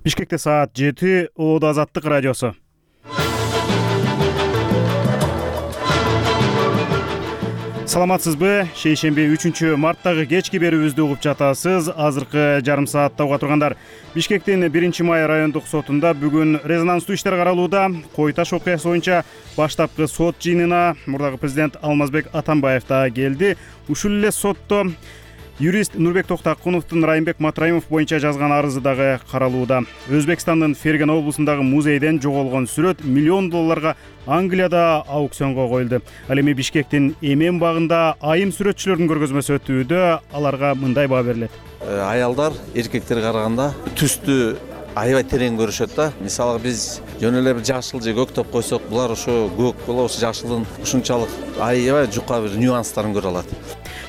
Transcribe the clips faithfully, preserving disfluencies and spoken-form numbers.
Бишкекте саат жети, Оодо Азаттык радиосу. Саламатсызбы? Шейшемби үчүнчү марттагы кечки берүүбүздү угуп жатасыз. Азыркы жарым саатта уга тургандар. Бишкектин биринчи май райондук сотунда бүгүн резонанстуу иштер каралууда. Кой Таш окуясы боюнча баштапкы сот жыйынына мурдагы президент Алмазбек Атамбаев да келди. Ушул эле сотто юрист Нурбек Токтакуновдун Райымбек Матраимов боюнча жазган арызы дагы каралууда. Өзбекстандын Ферген облусундагы музейден жоголгон сүрөт миллион долларга Англияда аукционго коюлду. Ал эми Бишкектин Эмен багында айым сүрөтчүлөрдүн көргөзмөсү өтүүдө. Аларга мындай баа берилет. Аялдар эркектерге караганда түстү аябай терең көрүшөт да. Мисалы биз жөн эле бир жашыл же көк топ койсок, булар ошо көк боло, ошо жашылдын ушунчалык аябай жука бир нюанстарын көрө алат.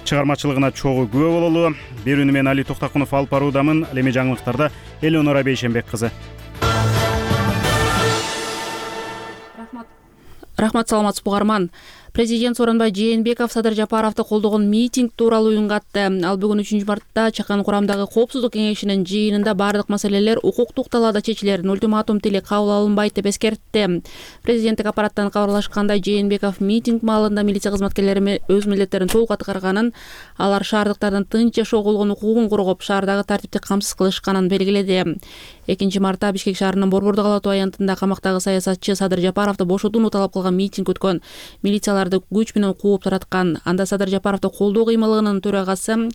Чыгармачылыгына чогуу күбө бололу. Берүүнү мен Али Токтакунов алып баруудамын. Ал эми жаңылыктарда Элеонора Бейшенбек кызы. Рахмат. Рахмат, саламатсызбы угарман. Президент Сооронбай Жээнбеков Садыр Жапаровду колдогон митинг тууралуу үн катты. Ал бүгүн үчүнчү мартта чакан курамдагы коопсуздук кеңешинин жыйынында бардык маселелер укуктук талаада чечилерин, ультиматум тили кабыл алынбайт деп эскертти. Президенттик аппараттан кабарлашкандай, Жээнбеков митинг маалында милиция кызматкерлери өз милдеттерин толук аткарганын, алар шаардыктардын тынч жашоо болгон укугун коргоп, шаардагы тартипти камсыз кылышканын белгиледи. экинчи мартта Бишкек шаарынын Борбордук Ала Тоо аянтында камактагы саясатчы Садыр Жапаровду бошотууну талап кылган митинг өткөн. Милицияларды күч менен кууп тараткан. Анда Садыр Жапаровду колдоо кыймылыгынын төрагасы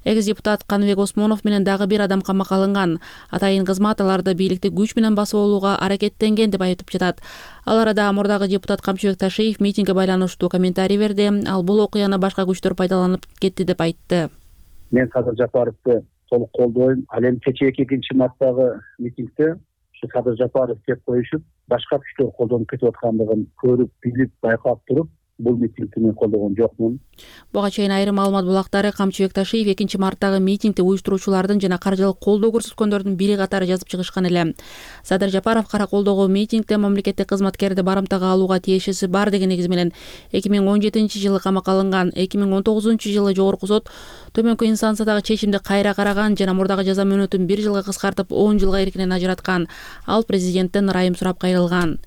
экс-депутат Каныбек Осмонов менен дагы бир адам камакка алынган. Атайын кызмат аларды бийликти күч менен басып алууга аракеттенген деп айтып жатат. Ал арада мурдагы депутат Камчыбек Ташиев митингге байланыштуу комментарий берди. Ал бул окуяны башка күчтөр пайдаланып кетти деп айтты. Мен Садыр Жапаровду толук колдойм. Ал эми кечээки экинчи марттагы митингде ушу Садыр Жапаров кеп коюшуп, башка күчтөр колдонуп кетип аткандыгын көрүп, билип, байкап туруп, бул митингди мен колдогон жокмун. Буга чейин айрым маалымат булактары Камчыбек Ташиев экинчи марттагы митингди уюштуруучулардын жана каржылык колдоо көрсөткөндөрдүн бири катары жазып чыгышкан эле. Садыр Жапаров кара колдогу митингде мамлекеттик кызматкерди барымтага алууга тиешеси бар деген негиз менен эки миң он жетинчи жылы камакка алынган. эки миң он тогузунчу жылы жогорку сот төмөнкү инстансиядагы чечимди кайра караган жана мурдагы жаза мөөнөтүн бир жылга кыскартып он жылга эркинен ажыраткан. Ал президенттен ырайым сурап кайрылган.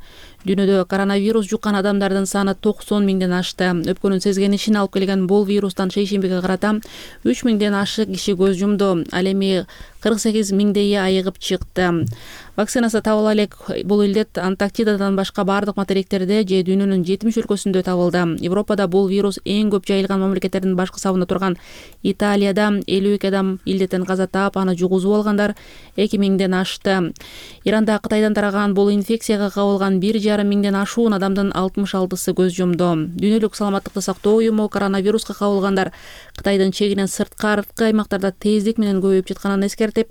Дүйнөдө коронавирус жуккан адамдардын саны токсон миңден ашты. Өпкөнүн сезгенишин алып келген бул вирустан шейшембиге карата үч миңден ашык киши көз жумду. Ал эми кырк сегиз миңдейи айыгып чыкты. Вакцинасы табыла элек бул илдет Антарктидадан башка бардык материктерде же дүйнөнүн жетимиш өлкөсүндө табылды. Европада бул вирус эң көп жайылган мамлекеттердин башкы сабында турган Италияда элүү эки адам илдеттен каза таап, аны жугузуп алгандар эки миңден ашты. Иранда Кытайдан тараган бул инфекцияга кабылган бир жарым миңден ашуун адамдын алтымыш алтысы көз жумду. Дүйнөлүк саламаттыкты сактоо уюму коронавируска кабылгандар Кытайдын чегинен сырткы аймактарда тездик менен көбөйүп жатканын эскертип,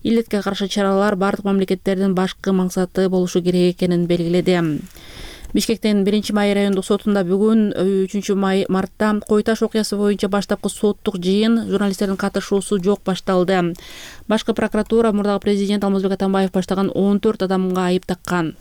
илдетке каршы чаралар бардык мамлекеттердин башкы максаты болушу керек экенин белгиледи. Бишкектин биринчи май райондук сотунда бүгүн үчүнчү мартта Кой Таш окуясы боюнча баштапкы соттук жыйын журналисттердин катышуусу жок башталды. Башкы прокуратура мурдагы президент Алмазбек Атамбаев баштаган он төрт адамга айып таккан.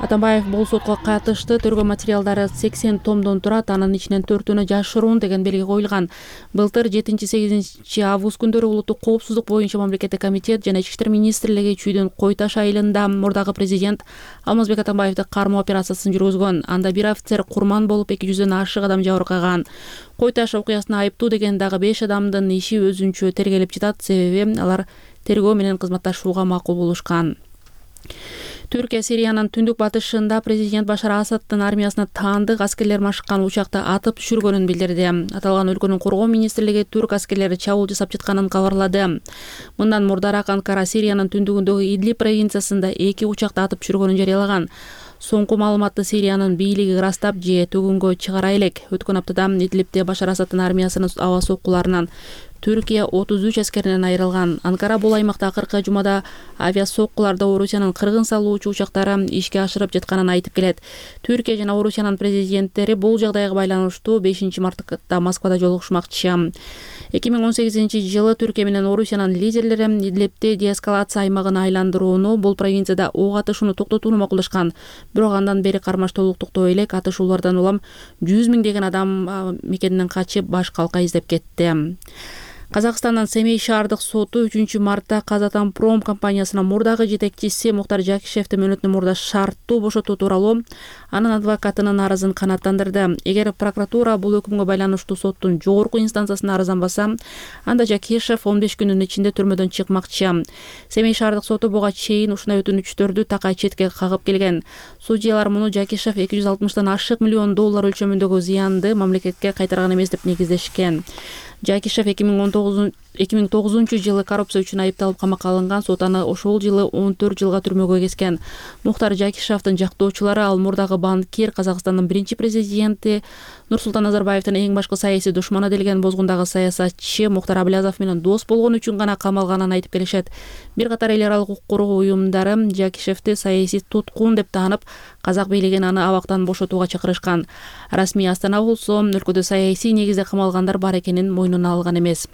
Атамбаев бул сотко катышты. Тергөө материалдары сексен томдон турат, анын ичинен төртүнө жашыруун деген белги коюлган. Былтыр жетинчи сегизинчи август күндөрү улуттук коопсуздук боюнча мамлекеттик комитет жана Ички иштер министрлиги Чүйдөн Кой Таш айылында мурдагы президент Алмазбек Атамбаевди кармоо операциясын жүргүзгөн. Анда бир офицер курман болуп эки жүздөн ашык адам жабыркаган. Кой Таш окуясына айыптуу деген дагы беш адамдын иши өзүнчө тергелип жатат, себеби алар тергөө менен кызматташууга макул болушкан. Түркия Сириянын түндүк батышында президент Башар Асаддын армиясына таандык аскерлер машыккан учакты атып түшүргөнүн билдирди. Аталган өлкөнүн коргоо министрлиги түрк аскерлери чабуул жасап жатканын кабарлады. Мындан мурдараак Анкара Сириянын түндүгүндөгү Идлиб провинциясында эки учакты атып түшүргөнүн жарыялаган. Соңку маалыматты Сириянын бийлиги ырастап же төгүнгө чыгара элек. Өткөн аптада Идлибде Башар Асаддын армиясынын аба соккуларынан Түркия отуз үч аскеринен айрылган. Анкара бул аймакта акыркы жумада авиасоккуларда Орусиянын кыргын салуучу учактары ишке ашырып жатканын айтып келет. Түркия жана Орусиянын президенттери бул жагдайга байланыштуу бешинчи мартта Москвада жолугушмакчы. эки миң он сегизинчи жылы Түркия менен Орусиянын лидерлери Идлибде деэскалация аймагын айландырууну, бул провинцияда ок атышууну токтотууну макулдашкан. Бирок андан бери кармаш толуктуктоо элек атышуулардан улам жүз миңдеген адам мекенинен качып баш калка издеп кетти. Казакстандын Семей шаардык соту үчүнчү мартта Казатомпром компаниясынын мурдагы жетекчиси Мухтар Жакишевди мөөнөтүнөн мурда шарттуу бошотуу тууралуу анын адвокатынын арызын канааттандырды. Эгер прокуратура бул өкүмгө байланыштуу соттун жогорку инстанциясына арызданбаса, анда Жакишев он беш күнүн ичинде түрмөдөн чыкмакчы. Семей шаардык соту буга чейин ушундай өтүнүчтөрдү такай четке кагып келген. Судьялар муну Жакишев эки жүз алтымыштан ашык миллион доллар өлчөмүндөгү зыянды мамлекетке кайтарган эмес деп негиздешкен. Жакишев эки миң тогузунчу жылы коррупция үчүн айыпталып камакка алынган, сот аны ошол жылы он төрт жылга түрмөгө кескен. Мухтар Жакишевдин жактоочулары ал мурдагы банкир, Казакстандын биринчи президенти Нурсултан Назарбаевдин эң башкы саясий душманы делген бозгундагы саясатчы Мухтар Аблязов менен дос болгону үчүн гана камалганын айтып келишет. Бир катар эл аралык укук коргоо уюмдары Жакишевди саясий туткун деп таанып, казак бийлигин аны абактан бошотууга чакырышкан. Расмий Астана болсо өлкөдө саясий негизде камалгандар бар экенин мойнуна алган эмес.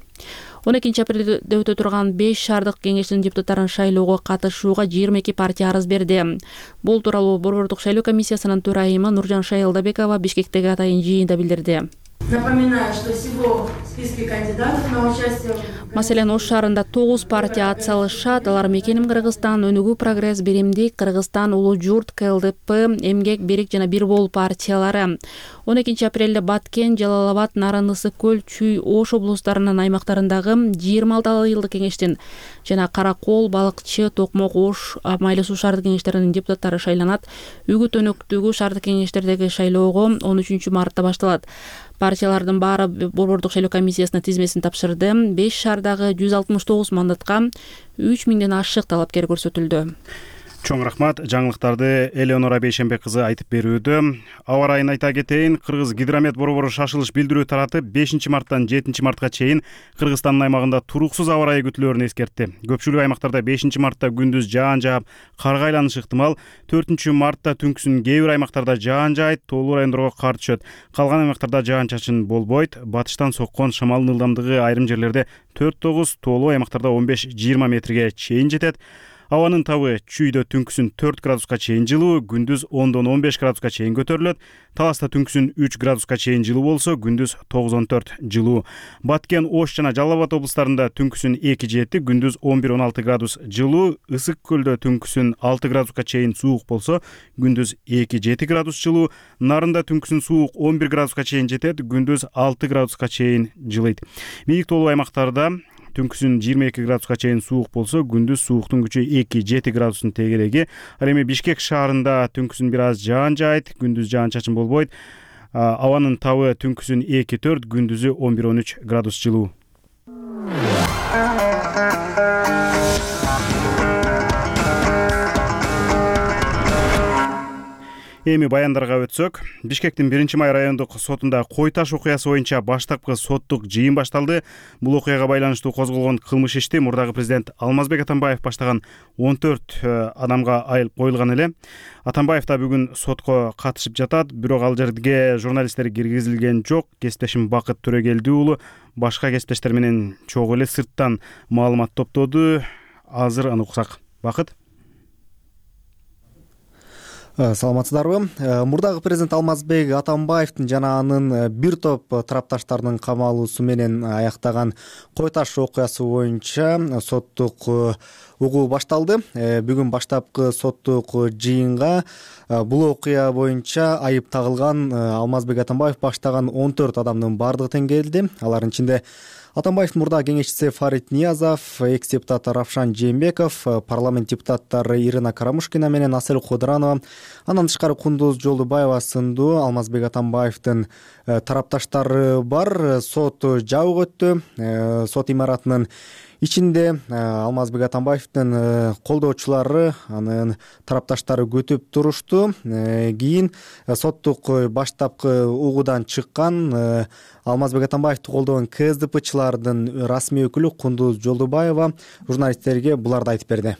он экинчи апрелде өтө турган беш шаардык кеңештин депутаттарын шайлоого катышууга жыйырма эки партия арыз берди. Бул тууралуу Борбордук шайлоо комиссиясынын төрайымы Нуржан Шайылдабекова Бишкектеги атайын жыйында билдирди. Напоминаю, что всего в списке кандидатов на участие. Маселен, Ош шаарында тогуз партия ат салышат. Алар Мекеним Кыргызстан, Өнүгүү Прогресс, Биримдик Кыргызстан, Улуу Журт, КЛДП, Эмгек, Бирик жана Бир Бол партиялары. он экинчи апрелде Баткен, Жалал Абад, Нарын, Ысык көл, Чүй, Ош облустарынын аймактарындагы жыйырма алты айылдык кеңештин жана Каракол, Балыкчы, Токмок, Ош, Майлы суу шаардык кеңештеринин депутаттары шайланат. Үгүт Өнөктөгү шаардык кеңештердеги шайлоого он үчүнчү мартта башталат. Партиялардын баары Борбордук шайлоо комиссиясына тизмесин тапшырды. беш шаардагы жүз алтымыш тогуз мандатка үч миңден ашык талапкер көрсөтүлдү. Чоң рахмат. Жаңылыктарды Элеонора Бейшембек кызы айтып берүүдө. Аба ырайын айта кетейин. Кыргыз гидромет борбору шашылыш билдирүү таратып, бешинчи марттан жетинчи мартка чейин Кыргызстандын аймагында туруксуз аба ырайы күтүлөөрүн эскертти. Көпчүлүк аймактарда бешинчи мартта күндүз жаан жаап, карга айланышы ыктымал. төртүнчү мартта түнкүсүн кээ бир аймактарда жаан жаайт, тоолуу райондорго кар түшөт. Калган аймактарда жаан-чачын болбойт. Батыштан соккон шамалдын ылдамдыгы айрым жерлерде төрт тогуз, тоолуу аймактарда он беш жыйырма метрге чейин жетет. Абанын табы Чүйдө түнкүсүн төрт градуска чейин жылуу, күндүз ондон он беш градуска чейин көтөрүлөт. Таласта түнкүсүн үч градуска чейин жылуу болсо, күндүз тогузон төрт жылуу. Баткен, Ош жана Жалал Абад облустарында түнкүсүн эки жети, күндүз он бир он алты градус жылуу. Ысык көлдө түнкүсүн алты градуска чейин суук болсо, күндүз эки жети градус жылуу. Нарында түнкүсүн суук он бир градуска чейин жетет, күндүз алты градуска чейин жылыйт. Бийик тоолуу аймактарда түнкүсүн жыйырма эки градуска чейин суук болсо, күндүз сууктун күчү эки жети градустун тегереги. Ал эми Бишкек шаарында түнкүсүн бир аз жаан жаайт, күндүз жаан-чачын болбойт. Абанын табы түнкүсүн эки төрт, күндүзү он бир он үч градус жылуу. Эми баяндарга өтсөк, Бишкектин биринчи май райондук сотунда Кой Таш окуясы боюнча баштапкы соттук жыйын башталды. Бул окуяга байланыштуу козголгон кылмыш ишти мурдагы президент Алмазбек Атамбаев баштаган он төрт адамга айылып коюлган эле. Атамбаев да бүгүн сотко катышып жатат, бирок ал жерге журналисттер киргизилген жок. Кесиптешим Бакыт Төрөгелди уулу башка кесиптештер менен чогуу эле сырттан маалымат топтоду. Азыр аны уксак. Бакыт. Саламатсыздарбы? Мурдагы президент Алмазбек Атамбаевдин жана анын бир топ тарапташтарынын камалуусу менен аяктаган Кой Таш окуясы боюнча соттук угуу башталды. Бүгүн баштапкы соттук жыйынга бул окуя боюнча айып тагылган Алмазбек Атамбаев баштаган он төрт адамдын бардыгы тең келди. Алардын ичинде Атамбаевдин мурдагы кеңешчиси Фарид Ниязов, экс-депутат Равшан Жээнбеков, парламент депутаттары Ирина Карамушкина менен Асель Кудранова, андан тышкары Кундуз Жолдубаева сындуу Алмазбек Атамбаевдин тарапташтары бар. Сот жабык өттү. Сот имаратынын ичинде Алмазбек Атамбаевдин колдоочулары, анын тарапташтары күтүп турушту. Кийин соттук баштапкы угуудан чыккан Алмазбек Атамбаевди колдогон КСДПчылардын расмий өкүлү Кундуз Жолдубаева журналисттерге буларды айтып берди.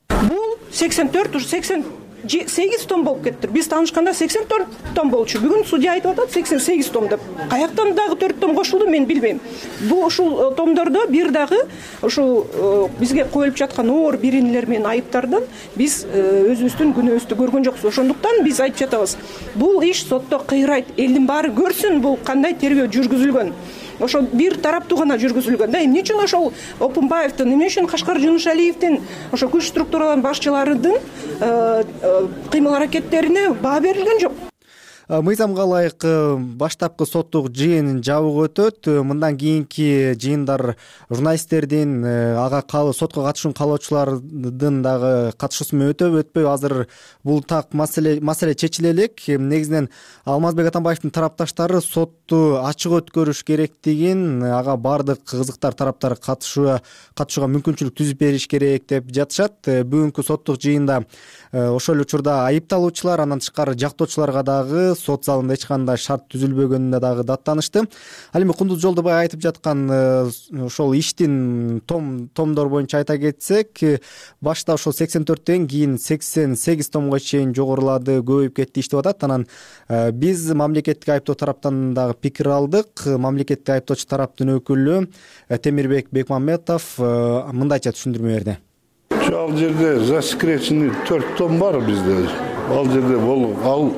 Бул сексен төрт, уже сексен сегиз том болуп кетти. Биз таанышканда сексен төрт том болчу. Бүгүн судья айтып атат сексен сегиз том деп. Каяктан дагы төрт том кошулду, мен билбейм. Бул ушул томдордо бир дагы ушул бизге коюлуп жаткан оор биринелер менен айыптардан биз өзүбүздүн күнөөбүздү көргөн жокпуз. Ошондуктан биз айтып жатабыз. Бул иш сотто кыйрайт. Элдин баары көрсүн бул кандай тергөө жүргүзүлгөн. ошо бир тараптуу гана жүргүзүлгөн да. Эмне үчүн ошол Опунбаевдин, эмне үчүн Кашкар Жунушалиевдин ошо күч структураларынын башчыларынын кыймыл аракеттерине баа берилген жок? Мыйзамга ылайык баштапкы соттук жыйын жабык өтөт. Мындан кийинки жыйындар журналисттердин, ага сотко катышууну каалоочулардын дагы катышуусу менен өтөбү, өтпөйбү? Азыр бул так маселе маселе чечиле элек. Негизинен Алмазбек Атамбаевдин тарапташтары сотту ачык өткөрүш керектигин, ага баардык кызыктар тараптар катышууга катышууга мүмкүнчүлүк түзүп бериш керек деп жатышат. Бүгүнкү соттук жыйында ошол эле учурда айыпталуучулар, андан тышкары жактоочуларга дагы сот залында эч кандай шарт түзүлбөгөнүнө дагы даттанышты. Ал эми Кундуз Жолдобай айтып жаткан ошол иштин том томдор боюнча айта кетсек, башта ошол сексен төрттөн кийин сексен сегиз томго чейин жогорулады, көбөйүп кетти иш деп атат. Анан биз мамлекеттик айыптоо тараптан дагы пикир алдык. Мамлекеттик айыптоочу тараптын өкүлү Темирбек Бекмамбетов мындайча түшүндүрмө берди. Ал жерде засекреченный төрт том бар бизде. Ал жерде бол ал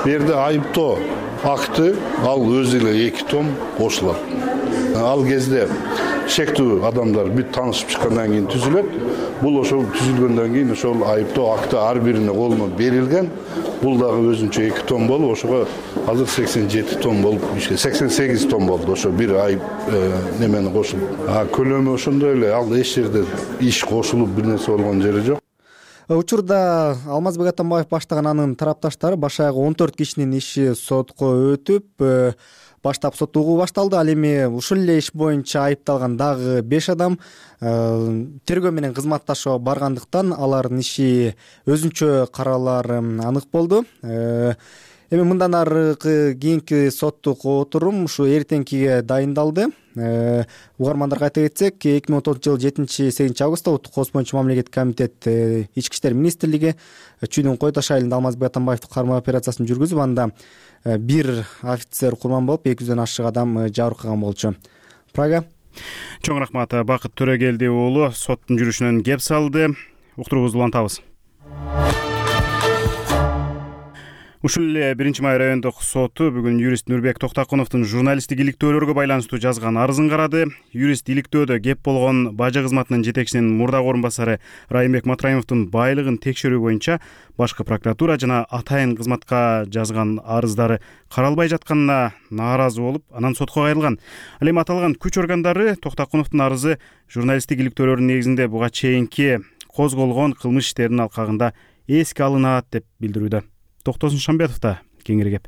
берде айыптоо акты, ал өзү эле эки том кошулат. Ал кезде шектүү адамдар бүт таанышып чыккандан кийин түзүлөт. Бул ошол түзүлгөндөн кийин ошол айыптоо акты ар бирine колуна берилген. Бул дагы өзүнчө эки том болуп, ошого азыр сексен жети том болуп, сексен сегиз том болду. Ошо бир айып немени кошулуп. А көлөмү ошондой эле, ал эч жерде иш кошулуп бир нерсе болгон жери жок. Учурда Алмазбек Атамбаев баштаган анын тарапташтары баш аягы он төрт кишинин иши сотко өтүп, баштап сот угуу башталды. Ал эми ушул эле иш боюнча айыпталган дагы беш адам тергөө менен кызматташууга баргандыктан алардын иши өзүнчө каралары анык болду. Эми мындан аркы кийинки соттук отурум ушу эртеңкиге дайындалды. Угармандарга айта кетсек, эки миң он тогузунчу жылы жетинчи сегизинчи августта Улуттук кооз боюнча мамлекеттик комитет Ички иштер министрлиги Чүйдүн Кой Таш айылында Алмазбек Атамбаевди кармоо операциясын жүргүзүп, анда бир офицер курман болуп, эки жүздөн ашык адам жабыркаган болчу. Прага. Чоң рахмат. Бакыт Төрөгелди уулу соттун жүрүшүнөн кеп салды. Уктуруубузду улантабыз. Ушул эле биринчи май райондук соту бүгүн юрист Нурбек Токтакуновдун журналисттик иликтөөлөргө байланыштуу жазган арызын карады. Юрист иликтөөдө кеп болгон бажы кызматынын жетекчисинин мурдагы орун басары Райымбек Матраимовдун байлыгын текшерүү боюнча башкы прокуратура жана атайын кызматка жазган арыздары каралбай жатканына нааразы болуп, анан сотко кайрылган. Ал эми аталган күч органдары Токтакуновдун арызы журналисттик иликтөөлөрдүн негизинде буга чейинки козголгон кылмыш иштеринин алкагында эске алынат деп билдирүүдө. Токтосун Шамбетов да кеңири кеп.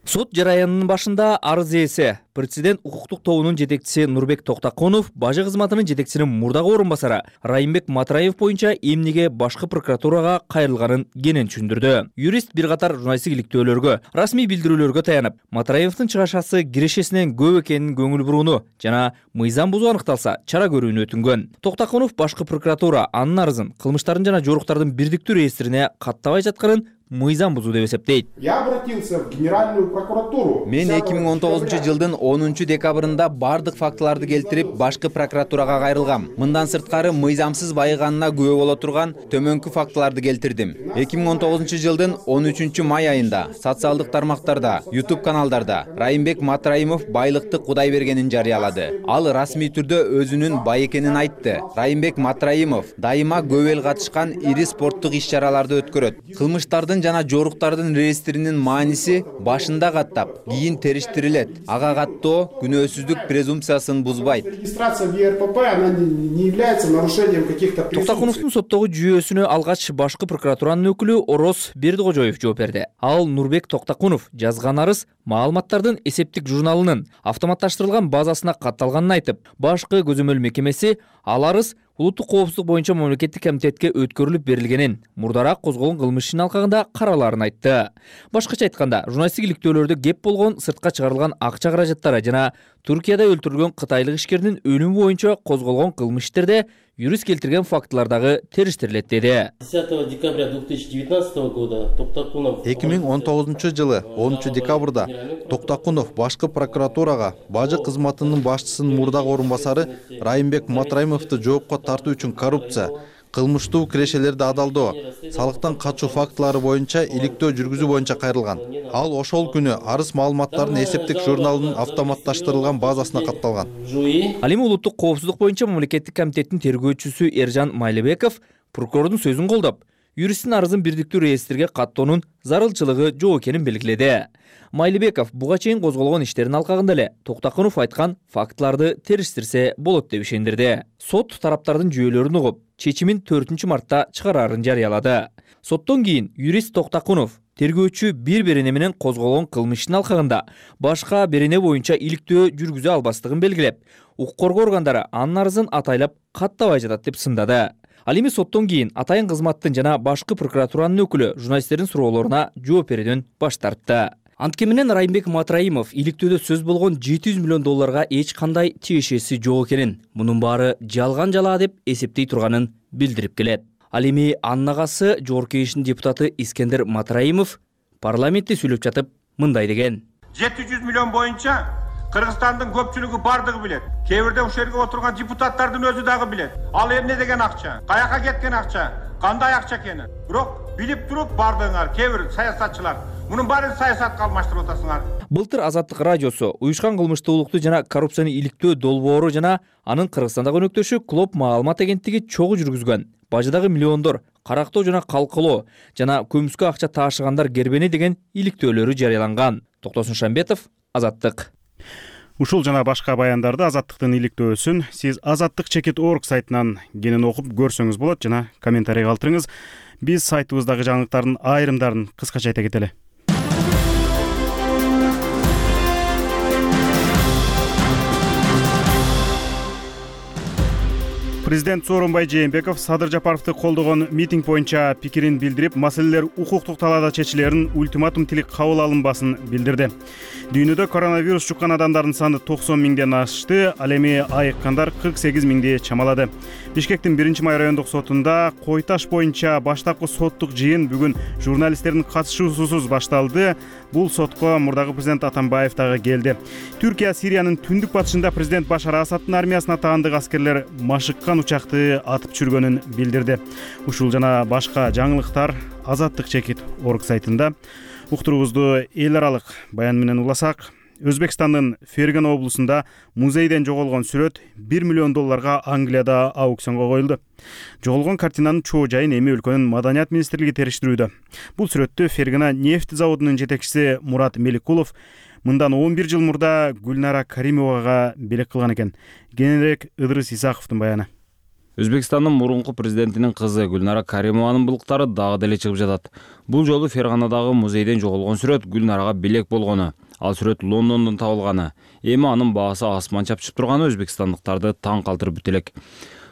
Сот жараянынын башында арыз ээси Президент укуктук тобунун жетекчиси Нурбек Токтакунов бажы кызматынын жетекчисинин мурдагы орун басары Райымбек Матраев боюнча эмнеге башкы прокуратурага кайрылганын кенен түшүндүрдү. Юрист бир катар журналисттик иликтөөлөргө, расмий билдирүүлөргө таянып, Матраевдин чыгашасы кирешесинен көп экенин көңүл бурууну жана мыйзам бузуу аныкталса чара көрүүнү өтүнгөн. Токтакунов башкы прокуратура анын арызын кылмыштардын жана жоруктардын бирдиктүү реестрине каттабай жатканын мыйзам бузуу деп эсептейт. Я обратился в Генеральную прокуратуру. Мен эки миң он тогузунчу жылдын онунчу декабрында бардык фактыларды келтирип, башкы прокуратурага кайрылгам. Мындан сырткары мыйзамсыз байыганына күбө боло турган төмөнкү фактыларды келтирдим. эки миң он тогузунчу жылдын он үчүнчү май айында социалдык тармактарда, YouTube каналдарда Райымбек Матраимов байлыкты Кудай бергенин жарыялады. Ал расмий түрдө өзүнүн бай экенин айтты. Райымбек Матраимов дайыма көп эл катышкан ири спорттук иш-чараларды өткөрөт. Кылмыштардын жана жоруктардын реестринин мааниси башында каттап, кийин териштирилет. Ага каттоо күнөөсүздүк презумпциясын бузбайт. Регистрация в ЕРПП она не является нарушением каких-то презумпций. Токтакуновдун соттогу жүйөсүнө алгач башкы прокуратуранын өкүлү Ороз Бердикожоев жооп берди. Ал Нурбек Токтакунов жазган арыз маалыматтардын эсептик журналынын автоматташтырылган базасына катталганын айтып, башкы көзөмөл мекемеси ал арыз улуттук коопсуздук боюнча мамлекеттик комитетке өткөрүлүп берилгенин, мурдараак козголгон кылмыш ишинин алкагында каралаарын айтты. Башкача айтканда, журналисттик иликтөөлөрдө кеп болгон сыртка чыгарылган акча каражаттары жана Туркияда өлтүрүлгөн кытайлык ишкердин өлүмү боюнча козголгон кылмыш иштерде юрист келтирген фактылардагы териштирилет деди. десятого декабря две тысячи девятнадцатого года Токтакунов эки миң он тогузунчу жылы онунчу декабрда Токтакунов башкы прокуратурага бажы кызматынын башчысынын мурдагы орун басары Райымбек Матраимовду жоопко тартуу үчүн коррупция, кылмыштуу кирешелерди адалдоо, салыктан качуу фактылары боюнча иликтөө жүргүзүү боюнча кайрылган. Ал ошол күнү арыз маалыматтарын эсептик журналынын автоматташтырылган базасына катталган. Ал эми улуттук коопсуздук боюнча мамлекеттик комитеттин тергөөчүсү Эржан Майлыбеков прокурордун сөзүн колдоп, юристтин арызын бирдиктүү реестрге каттоонун зарылчылыгы жок экенин белгиледи. Майлыбеков буга чейин козголгон иштердин алкагында эле Токтакунов айткан фактыларды териштирсе болот деп ишендирди. Сот тараптардын жүйөлөрүн угуп, чечимин төртүнчү мартта чыгарарын жарыялады. Соттон кийин юрист Токтакунов тергөөчү бир берене менен козголгон кылмыштын алкагында башка берене боюнча иликтөө жүргүзө албастыгын белгилеп, укук коргоо органдары анын арызын атайлап каттабай жатат деп сындады. Ал эми соттон кийин атайын кызматтын жана башкы прокуратуранын өкүлү журналисттердин суроолоруна жооп берүүдөн баш тартты. Анткени менен Райымбек Матраимов иликтөөдө сөз болгон жети жүз миллион долларга эч кандай тиешеси жок экенин, мунун баары жалган жалаа деп эсептей турганын билдирип келет. Ал эми анын агасы Жогорку Кеңештин депутаты Искендер Матраимов парламентте сүйлөп жатып мындай деген. жети жүз миллион боюнча Кыргызстандын көпчүлүгү бардыгы билет. Кээ бирде ушул жерге отурган депутаттардын өзү дагы билет. Ал эмне деген акча? Каяка кеткен акча? Кандай акча экенин? Бирок билип туруп бардыңар, кээ бир саясатчылар мунун баарын саясатка алмаштырып атасыңар. Былтыр Азаттык радиосу уюшкан кылмыштуулукту жана коррупцияны иликтөө долбоору жана анын Кыргызстандагы өнөктөшү Клоп маалымат агенттиги чогуу жүргүзгөн бажыдагы миллиондор карактоо жана калкылоо жана көмүскө акча таашыгандар кербени деген иликтөөлөрү жарыяланган. Токтосун Шамбетов, Азаттык. Ушул жана башка баяндарды Азаттыктын иликтөөсүн сиз азаттык чекит орг сайтынан кенен окуп көрсөңүз болот жана комментарий калтырыңыз. Биз сайтыбыздагы жаңылыктардын айрымдарын кыскача айта кетели. Президент Сооронбай Жээнбеков Садыр Жапаровду колдогон митинг боюнча пикирин билдирип, маселелер укуктук талаада чечилерин ультиматум тилек кабыл алынбасын билдирди. Дүйнөдө коронавирус жуккан адамдардын саны токсон миңден ашты, ал эми айыккандар кырк сегиз миңди чамалады. Бишкектин биринчи май райондук сотунда кой таш боюнча баштапкы соттук жыйын бүгүн журналисттердин катышуусусуз башталды. Бул сотко мурдагы президент Атамбаев дагы келди. Түркия Сириянын түндүк батышында президент Башар Асадтын армиясына таандык аскерлер машыккан учакты атып чүргөнүн билдирди. Ушул жана башка жаңылыктар азаттык чекит орг сайтында. Уктуруубузду эл аралык баян менен уласак, Өзбекстандын Фергана облусунда музейден жоголгон сүрөт бир миллион долларга Англияда аукционго коюлду. Жоголгон картинанын чоо жайын эми өлкөнүн маданият министрлиги териштирүүдө. Бул сүрөттү Фергана нефть заводунун жетекчиси Мурат Меликулов мындан он бир жыл мурда Гүлнара Каримовага белек кылган экен. Кененирээк Ыдырыс Исаковдун баяны. Өзбекстандын мурунку президентинин кызы Гүлнара Каримованын булуктары дагы деле чыгып жатат. Бул жолу Ферганадагы музейден жоголгон сүрөт Гүлнарага белек болгону. Ал сүрөт Лондондон табылганы. Эми анын баасы асман чапчып турганы өзбекстандыктарды таң калтырып бүт элек.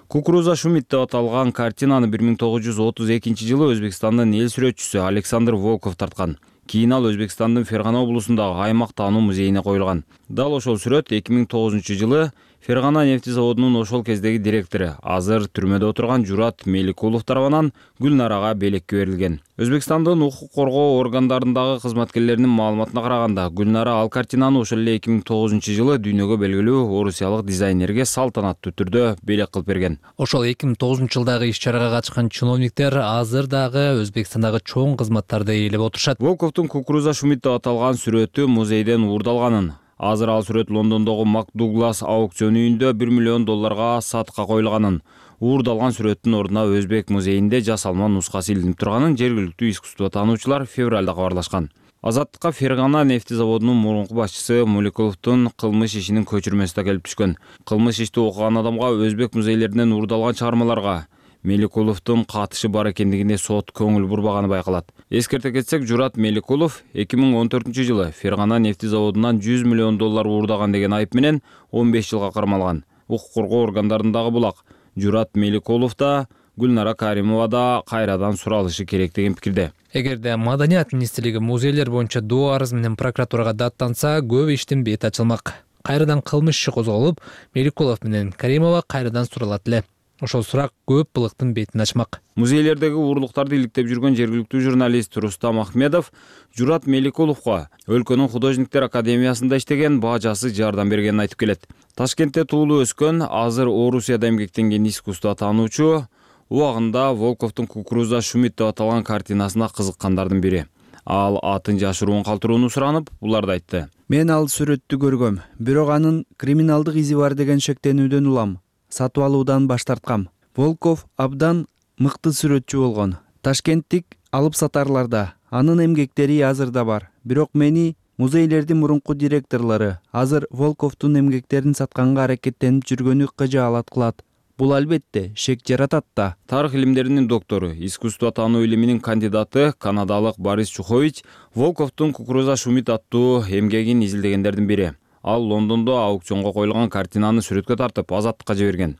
Кукуруза Шумит деп аталган картинаны бир миң тогуз жүз отуз экинчи жылы Өзбекстандын эл сүрөтчүсү Александр Волков тарткан. Кийин ал Өзбекстандын Фергана облусундагы аймак таануу музейине коюлган. Дал ошол сүрөт эки миң тогузунчу жылы Фергана нефти заводунун ошол кездеги директору, азыр түрмөдө отурган Журат Меликулов тарабынан Гүлнарага белекке берилген. Өзбекстандын укук коргоо органдарындагы кызматкерлеринин маалыматына караганда, Гүлнара ал картинаны ошол эле эки миң тогузунчу жылы дүйнөгө белгилүү орусиялык дизайнерге салтанаттуу түрдө белек кылып берген. Ошол эки миң тогузунчу жылдагы иш-чарага катышкан чиновниктер азыр дагы Өзбекстандагы чоң кызматтарды ээлеп отурушат. Волковдун Кукуруза Шумит деп аталган сүрөтү музейден уурдалганын, азыр ал сүрөт Лондондогу Макдуглас аукцион үйүндө бир миллион долларга сатыкка коюлганын, уурдалган сүрөттүн ордуна Өзбек музейинде жасалма нускасы илинип турганын жергиликтүү искусство таануучулар февралда кабарлашкан. Азаттыкка Фергана нефти заводунун мурунку башчысы Муликуловдун кылмыш ишинин көчүрмөсү да келип түшкөн. Кылмыш ишти окуган адамга өзбек музейлеринен уурдалган чыгармаларга Меликуловдун катышы бар экендигине сот көңүл бурбаганы байкалат. Эскерте кетсек, Журат Меликулов эки миң он төртүнчү жылы Фергана нефти заводунан жүз миллион доллар уурдаган деген айып менен он беш жылга кармалган. Укук коргоо органдарындагы булак. Журат Меликулов да, Гүлнара Каримова да кайрадан суралышы керек деген пикирде. Эгерде маданият министрлиги музейлер боюнча доо арыз менен прокуратурага даттанса, көп иштин бети ачылмак. Кайрадан кылмыш иши козголуп, Меликулов менен Каримова кайрадан суралат эле. Ошол сурак көп былыктын бетин ачмак. Музейлердеги уурлуктарды иликтеп жүргөн жергиликтүү журналист Рустам Ахмедов Журат Меликуловго өлкөнүн художниктер академиясында иштеген бажасы жардам бергенин айтып келет. Ташкентте туулуп өскөн, азыр Орусияда эмгектенген искусство таануучу Убагында Волковдун «Кукуруза Шумит» деп аталган картинасына кызыккандардын бири. Ал атын жашыруун калтырууну суранып, буларды айтты. Мен ал сүрөттү көргөм, бирок анын криминалдык изи бар деген шектенүүдөн улам. Сатып алуудан баш тарткам. Волков абдан мыкты сүрөтчү болгон. Ташкенттик алып сатарларда анын эмгектери азыр да бар. Бирок мени музейлердин мурунку директорлору азыр Волковдун эмгектерин сатканга аракеттенип жүргөнү кыжаалат кылат. Бул албетте шек жаратат да. Тарых илимдеринин доктору, искусство таануу илиминин кандидаты канадалык Борис Чухович Волковдун «Кукуруза Шумит» аттуу эмгегин изилдегендердин бири. Ал Лондондо аукционго коюлган картинаны сүрөткө тартып, Азаттыкка жиберген.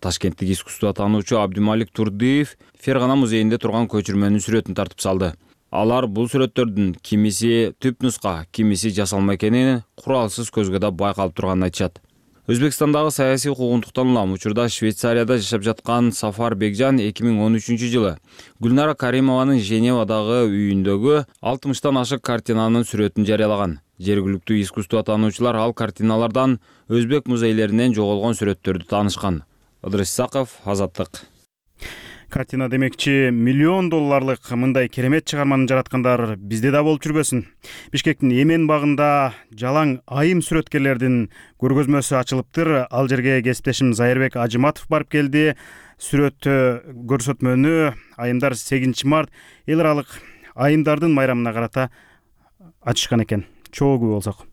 Ташкенттик искусство таануучу Абдималик Турдиев Фергана музейинде турган көчүрмөнүн сүрөтүн тартып салды. Алар бул сүрөттөрдүн кимиси түп нуска, кимиси жасалма экенин куралсыз көзгө да байкалып турганын айтышат. Өзбекстандагы саясий куугунтуктан улам учурда Швейцарияда жашап жаткан Сафар Бекжан эки миң он үчүнчү жылы Гүлнара Каримованын Женевадагы үйүндөгү алтымыштан ашык картинанын сүрөтүн жарыялаган. Жергиликтүү искусство таануучулар ал картиналардан өзбек музейлеринен жоголгон сүрөттөрдү таанышкан. Ыдырыс Исаков, Азаттык. Картина демекчи миллион долларлык мындай керемет чыгарманы жараткандар бизде да болуп жүрбөсүн. Бишкектин Эмен багында жалаң айым сүрөткерлердин көргөзмөсү ачылыптыр. Ал жерге кесиптешим Зайырбек Ажыматов барып келди. Сүрөт көрсөтмөнү айымдар сегизинчи март эл аралык айымдардын майрамына карата ачышкан экен. Чогуу болсок.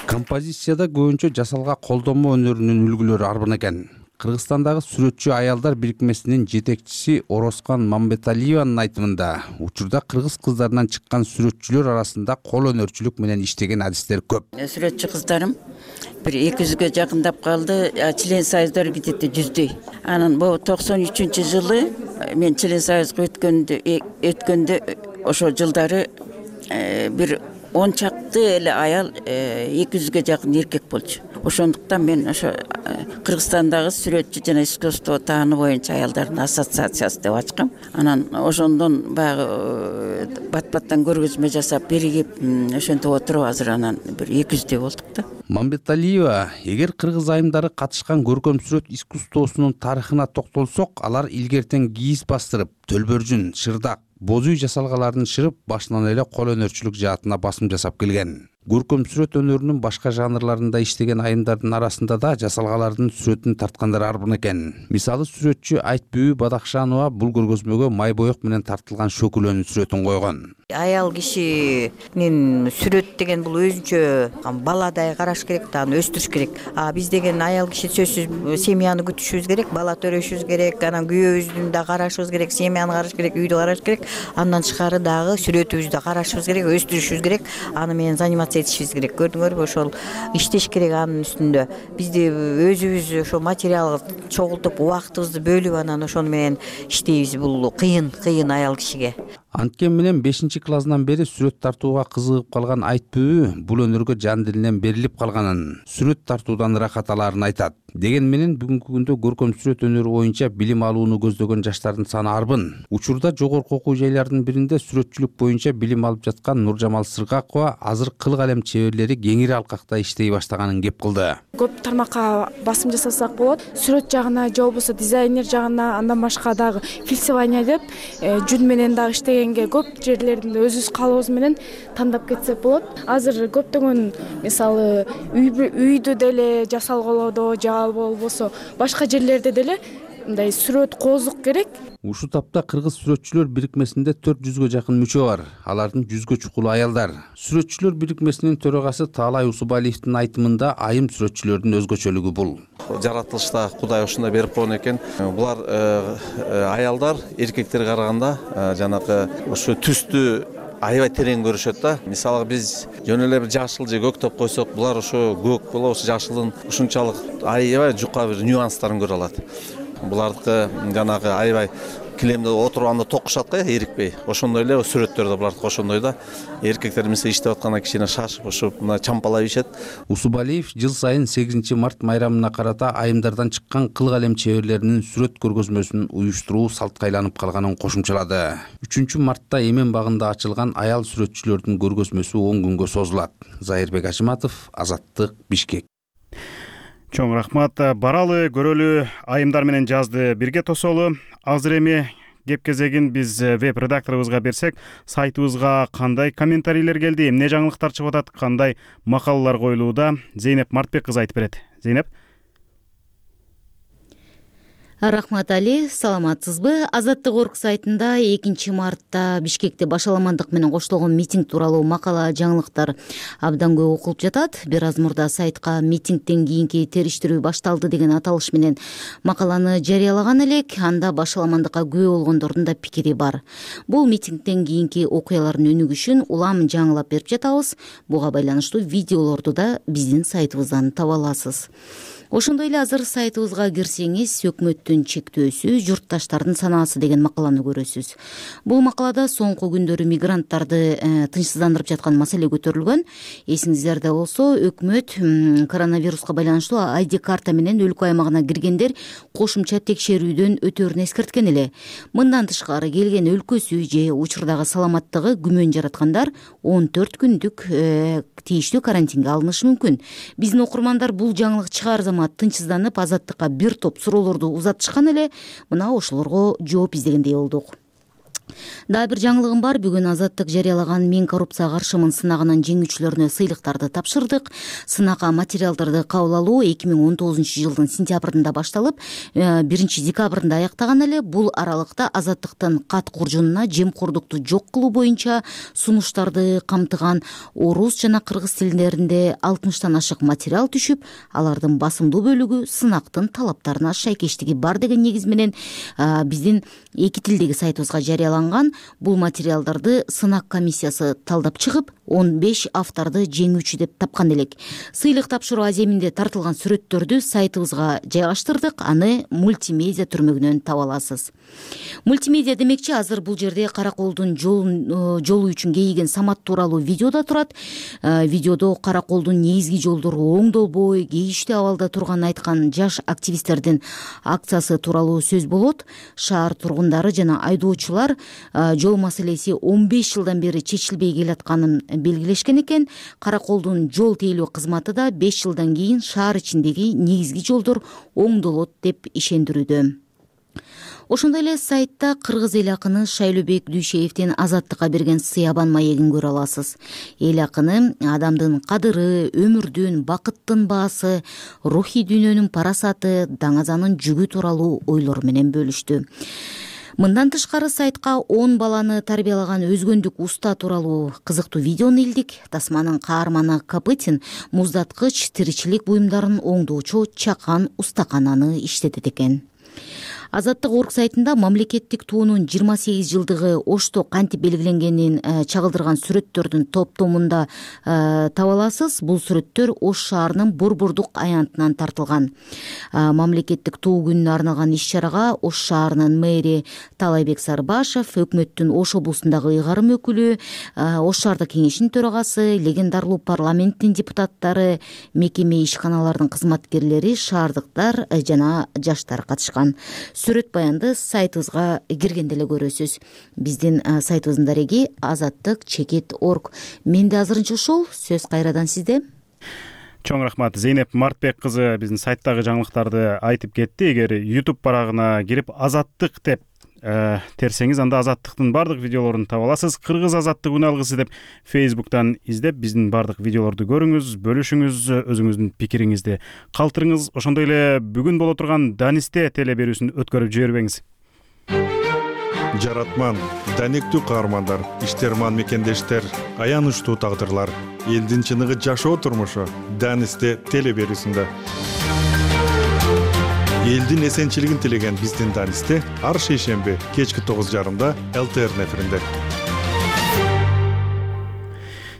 Композицияда көбүнчө жасалга колдонмо өнөрүнүн үлгүлөрү арбын экен. Кыргызстандагы сүрөтчү аялдар бирикмесинин жетекчиси Оросхан Мамбеталиеванын айтымында, учурда кыргыз кыздарынан чыккан сүрөтчүлөр арасында кол өнөрчүлүк менен иштеген адистер көп. Сүрөтчү кыздарым бир эки жүзгө жакындап калды, член союздар где-то жүздөй. Анан бул токсон үчүнчү жылы мен член союзга өткөндө өткөндө ошо жылдары бир он чакты эле аял эки жүзгө жакын эркек болчу. Ошондуктан мен ошо Кыргызстандагы сүрөтчү жана искусство таануу боюнча аялдардын ассоциациясы деп ачкам. Анан ошондон баягы бат-баттан көргөзмө жасап биригип ошентип отуруп азыр анан бир эки жүздөй болдук да. Мамбеталиева, эгер кыргыз айымдары катышкан көркөм сүрөт искусствосунун тарыхына токтолсок, алар илгертен кийиз бастырып, төлбөржүн, шырдак, боз үй жасалгаларын шырып, башынан эле кол өнөрчүлүк жаатына басым жасап келген. Көркөм сүрөт өнөрүнүн башка жанрларында иштеген айымдардын арасында да жасалгалардын сүрөтүн тарткандар арбын экен. Мисалы сүрөтчү Айтбүбү Бадакшанова бул көргөзмөгө май боек менен тартылган шөкүлөнүн сүрөтүн койгон. Аял кишинин сүрөт деген бул өзүнчө баладай караш керек, аны өстүрүш керек. А биз деген аял киши сөзсүз семьяны күтүшүбүз керек, бала төрөшүбүз керек, анан күйөөбүздүн да карашыбыз керек, семьяны караш керек, үйдү караш керек. Андан тышкары дагы сүрөтүбүздү карашыбыз керек, өстүрүшүбүз керек. Аны менен заниматься этишибиз керек. Көрдүңөрбү, ошол иштеш керек анын үстүндө. Бизди өзүбүз ошо материал чогултуп, убактыбызды бөлүп анан ошону менен иштейбиз. Бул кыйын, кыйын аял кишиге. Анткен менен бешинчи классынан бери сүрөт тартууга кызыгып калган Айтбүбү бул өнөргө жан дилинен берилип калганын, сүрөт тартуудан ырахат алаарын айтат. Деген менен бүгүнкү күндө көркөм сүрөт өнөрү боюнча билим алууну көздөгөн жаштардын саны арбын. Учурда жогорку окуу жайлардын биринде сүрөтчүлүк боюнча билим алып жаткан Нуржамал Сыргакова азыр кыл калем чеберлери кеңири алкакта иштей баштаганын кеп кылды. Көп тармакка басым жасасак болот. Сүрөт жагына же болбосо дизайнер жагына, андан башка дагы филсование деп жүн менен дагы иштегенге көп жерлеринде өзүбүз калыбыз менен тандап кетсек болот. Азыр көптөгөн мисалы үйдү деле жасалгалоодо же болбосо башка жерлерде деле мындай сүрөт коозук керек. Ушул тапта кыргыз сүрөтчүлөр бирикмесинде төрт жүзгө жакын мүчө бар. Алардын жүзгө чукул аялдар. Сүрөтчүлөр бирикмесинин төрагасы Таалай Усубалиевдин айтымында айым сүрөтчүлөрдүн өзгөчөлүгү бул. Жаратылышта Кудай ошондой берип койгон экен. Булар аялдар эркектерге караганда жанагы ошо түстү аябай терең көрүшөт да. Мисалы биз жөн эле бир жашыл же көк топ койсок, булар ошо көк боло, ошо жашылдын ушунчалык аябай жука бир нюанстарын көрө алат. Булардыкы жанагы аябай килемде отурганда токушат го, эрикпей. Ошондой эле сүрөттөрдө булардыкы ошондой да. Эркектер мисалы иштеп атканда кичине шашып, ошо мына чампалап ишет. Усубалиев жыл сайын сегизинчи март майрамына карата айымдардан чыккан кыл калем чеберлеринин сүрөт көргөзмөсүн уюштуруу салтка айланып калганын кошумчалады. үчүнчү мартта Эмен багында ачылган аял сүрөтчүлөрдүн көргөзмөсү он күнгө созулат. Зайырбек Ажыматов, Азаттык, Бишкек. Чоң рахмат. Баралы, көрөлү, айымдар менен жазды бирге тосолу. Азыр эми кеп кезегин биз веб редакторубузга берсек, сайтыбызга кандай комментарийлер келди, эмне жаңылыктар чыгып атат, кандай макалалар коюлууда, Зейнеп Мартбек кызы айтып берет. Зейнеп. Рахмат Али, саламатсызбы? Азаттык орг сайтында экинчи мартта Бишкекте башаламандык менен коштолгон митинг тууралуу макала жаңылыктар абдан көп окулуп жатат. Бир аз мурда сайтка митингден кийинки териштирүү башталды деген аталыш менен макаланы жарыялаган элек. Анда башаламандыкка күбө болгондордун да пикири бар. Бул митингден кийинки окуялардын өнүгүшүн улам жаңылап берип жатабыз. Буга байланыштуу видеолорду да биздин сайтыбыздан таба аласыз. Ошондой эле азыр сайтыбызга кирсеңиз, өкмөттүн чектөөсү, журтташтардын санаасы деген макаланы көрөсүз. Бул макалада соңку күндөрү мигранттарды э, тынчсыздандырып жаткан маселе көтөрүлгөн. Эсиңиздерде болсо, өкмөт коронавируска байланыштуу ай ди карта менен өлкө аймагына киргендер кошумча текшерүүдөн өтөөрүн эскерткен эле. Мындан тышкары келген өлкөсү же учурдагы саламаттыгы күмөн жараткандар он төрт күндүк э, тийиштүү карантинге алынышы мүмкүн. Биздин окурмандар бул жаңылык чыгаар замат тынчсызданып, Азаттыкка бир топ суроолорду узатышкан эле. Мына ошолорго жооп издегендей болдук. Дагы бир жаңылыгым бар. Бүгүн Азаттык жарыялаган мен коррупцияга каршымын сынагынын жеңүүчүлөрүнө сыйлыктарды тапшырдык. Сынакка материалдарды кабыл алуу эки миң он тогузунчу жылдын сентябрында башталып, биринчи декабрында аяктаган эле. Бул аралыкта Азаттыктын кат куржунуна жемкордукту жок кылуу боюнча сунуштарды камтыган орус жана кыргыз тилдеринде алтымыштан ашык материал түшүп, алардын басымдуу бөлүгү сынактын талаптарына шайкештиги бар деген негиз менен биздин эки тилдеги сайтыбызга жарыяланган. Бул материалдарды сынак комиссиясы талдап чыгып, он беш авторду жеңүүчү деп тапкан элек. Сыйлык тапшыруу аземинде тартылган сүрөттөрдү сайтыбызга жайгаштырдык. Аны мультимедиа түрмөгүнөн таба аласыз. Мультимедиа демекчи, азыр бул жерде караколдун жолу үчүн кейиген самат тууралуу видео да турат. Видеодо караколдун негизги жолдору оңдолбой, кейиштүү абалда турганын айткан жаш активисттердин акциясы тууралуу сөз болот. Шаар тургундары жана айдоочулар жол маселеси он беш жылдан бери чечилбей келатканын белгилешкен экен. Караколдун жол тейлөө кызматы да беш жылдан кийин шаар ичиндеги негизги жолдор оңдолот деп ишендирүүдө. Ошондой эле сайтта кыргыз эл акыны Шайлообек Дүйшеевдин Азаттыкка берген сыябан маегин көрө аласыз. Эл акыны адамдын кадыры, өмүрдүн, бакыттын баасы, рухий дүйнөнүн парасаты, даңазанын жүгү тууралуу ойлор менен бөлүштү. Мындан тышкары сайтка он баланы тарбиялаган өзгөндүк уста тууралуу кызыктуу видеону илдик. Тасманын каарманы Капытин муздаткыч тиричилик буюмдарын оңдоочу чакан устакананы иштетет экен. Азаттык орг сайтында мамлекеттик туунун жыйырма сегиз жылдыгы Ошто кантип белгиленгенин чагылдырган сүрөттөрдүн топтомунда таба аласыз. Бул сүрөттөр Ош шаарынын Борбордук аянтынан тартылган. Мамлекеттик туу күнүнө арналган иш-чарага Ош шаарынын мэри Талайбек Сарбашев, өкмөттүн Ош облусундагы ыйгарым өкүлү, Ош шаардык кеңешинин төрагасы, легендарлуу парламенттин депутаттары, мекеме ишканалардын кызматкерлери, шаардыктар жана жаштар катышкан. Сүрөт баянды сайтыбызга киргенде эле көрөсүз. Биздин сайтыбыздын дареги азаттык чекит точка орг. Менде азырынча ушул. Сөз кайрадан сизде. Чоң рахмат. Зейнеп Мартбек кызы биздин сайттагы жаңылыктарды айтып кетти. Эгер YouTube барагына кирип азаттык деп терсеңиз, анда азаттыктын бардык видеолорун таба аласыз. Кыргыз азаттык үн алгысы деп Facebook'тан издеп, биздин бардык видеолорду көрүңүз, бөлүшүңүз, өзүңүздүн пикириңизди калтырыңыз. Ошондой эле бүгүн боло турган Данисте теле берүүсүн өткөрүп жибербеңиз. Жаратман, даниктүү каармандар, иштерман мекендештер, аянычтуу тагдырлар, элдин чыныгы жашоо турмушу Данисте теле берүүсүндө. Элдин эсенчилигин тилеген биздин Данисте ар шейшемби кечки тогуз жарымда эл тэ эр эфиринде.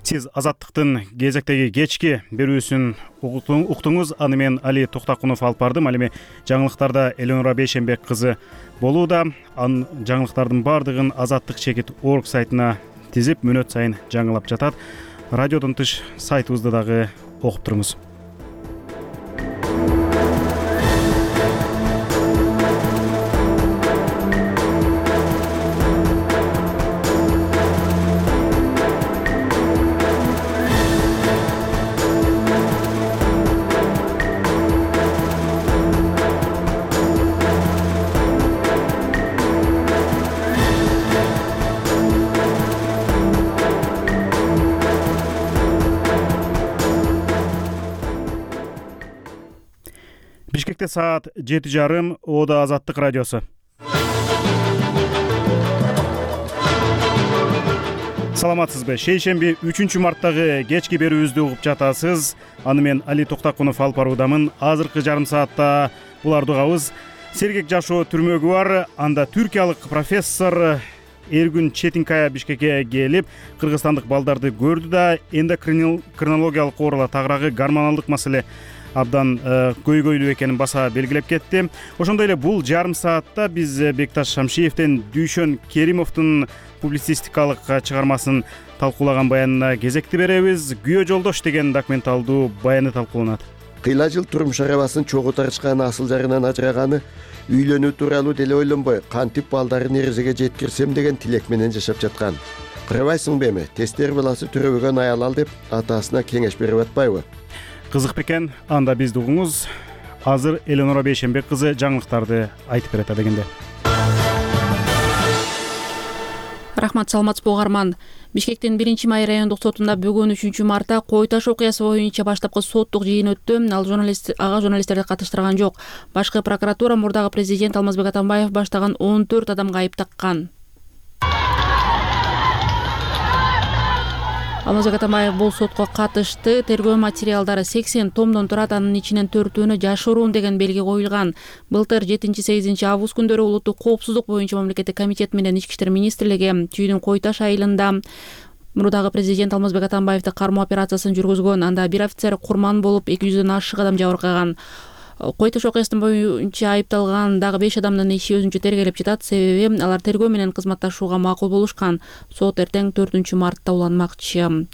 Сиз азаттыктын кезектеги кечки берүүсүн уктуңуз. Аны мен Али Токтакунов алып бардым. Ал эми жаңылыктарда Эленора Бейшембек кызы болууда. Ан жаңылыктардын бардыгын азаттык чекит точка орг сайтына тизип, мүнөт сайын жаңылап жатат. Радиодон тыш сайтыбызды дагы окуп туруңуз. Бишкекте саат жети жарым. Ода Азаттык радиосу. Саламатсызбы? Шейшемби үчүнчү марттагы кечки берүүбүздү угуп жатасыз. Аны мен Али Токтакунов алып баруудамын. Азыркы жарым саатта буларды угабыз. Сергек Жашоо түрмөгү бар. Анда түркиялык профессор Эргүн Четинкая Бишкекке келип, кыргызстандык балдарды көрдү да эндокринологиялык оорулар тагыраагы гормоналдык маселе абдан көйгөйлүү экенин баса белгилеп кетти. Ошондой эле бул жарым саатта биз Бекташ Шамшиевден Дүйшөн Керимовдун публицистикалык чыгармасын талкуулаган баянына кезекти беребиз. Күйөө жолдош деген документалдуу баяны талкууланат. Кыйла жыл турмуш арабасын чогуу тарышкан асыл жарынан ажыраганы, үйлөнүү тууралуу деле ойлонбой, кантип балдарын эрежеге жеткирсем деген тилек менен жашап жаткан. Кырабайсыңбы эми, тестер баласы төрөбөгөн аял ал деп атасына кеңеш берип атпайбы? Кызык бекен, анда бизди угуңуз. Азыр Эленора Бейшенбек кызы жаңылыктарды айтып берет дегенде. Рахмат, саламатсызбы угарман. Бишкектин биринчи май райондук сотунда бүгүн үчүнчү мартта Кой Таш окуясы боюнча баштапкы соттук жыйын өттү. Ал журналист ага журналисттерди катыштырган жок. Башкы прокуратура мурдагы президент Алмазбек Атамбаев баштаган он төрт адамга айып таккан. Алмазбек Атамбаев бул сотко катышты. Тергөө материалдары сексен томдон турат, анын ичинен төртөөнү жашыруун деген белги коюлган. Былтыр жетинчи сегизинчи август күндөрү улуттук коопсуздук боюнча мамлекеттик комитет менен Ички иштер министрлиги Чүйдүн Кой Таш айылында мурдагы президент Алмазбек Атамбаевди кармоо операциясын жүргүзгөн. Анда бир офицер курман болуп, эки жүздөн ашык адам жабыркаган. Кой Таш окуясынын боюнча айыпталган дагы беш адамдын иши өзүнчө тергелеп жатат. Себеби алар тергөө менен кызматташууга макул болушкан. Сот эртең төртүнчү мартта уланмакчы.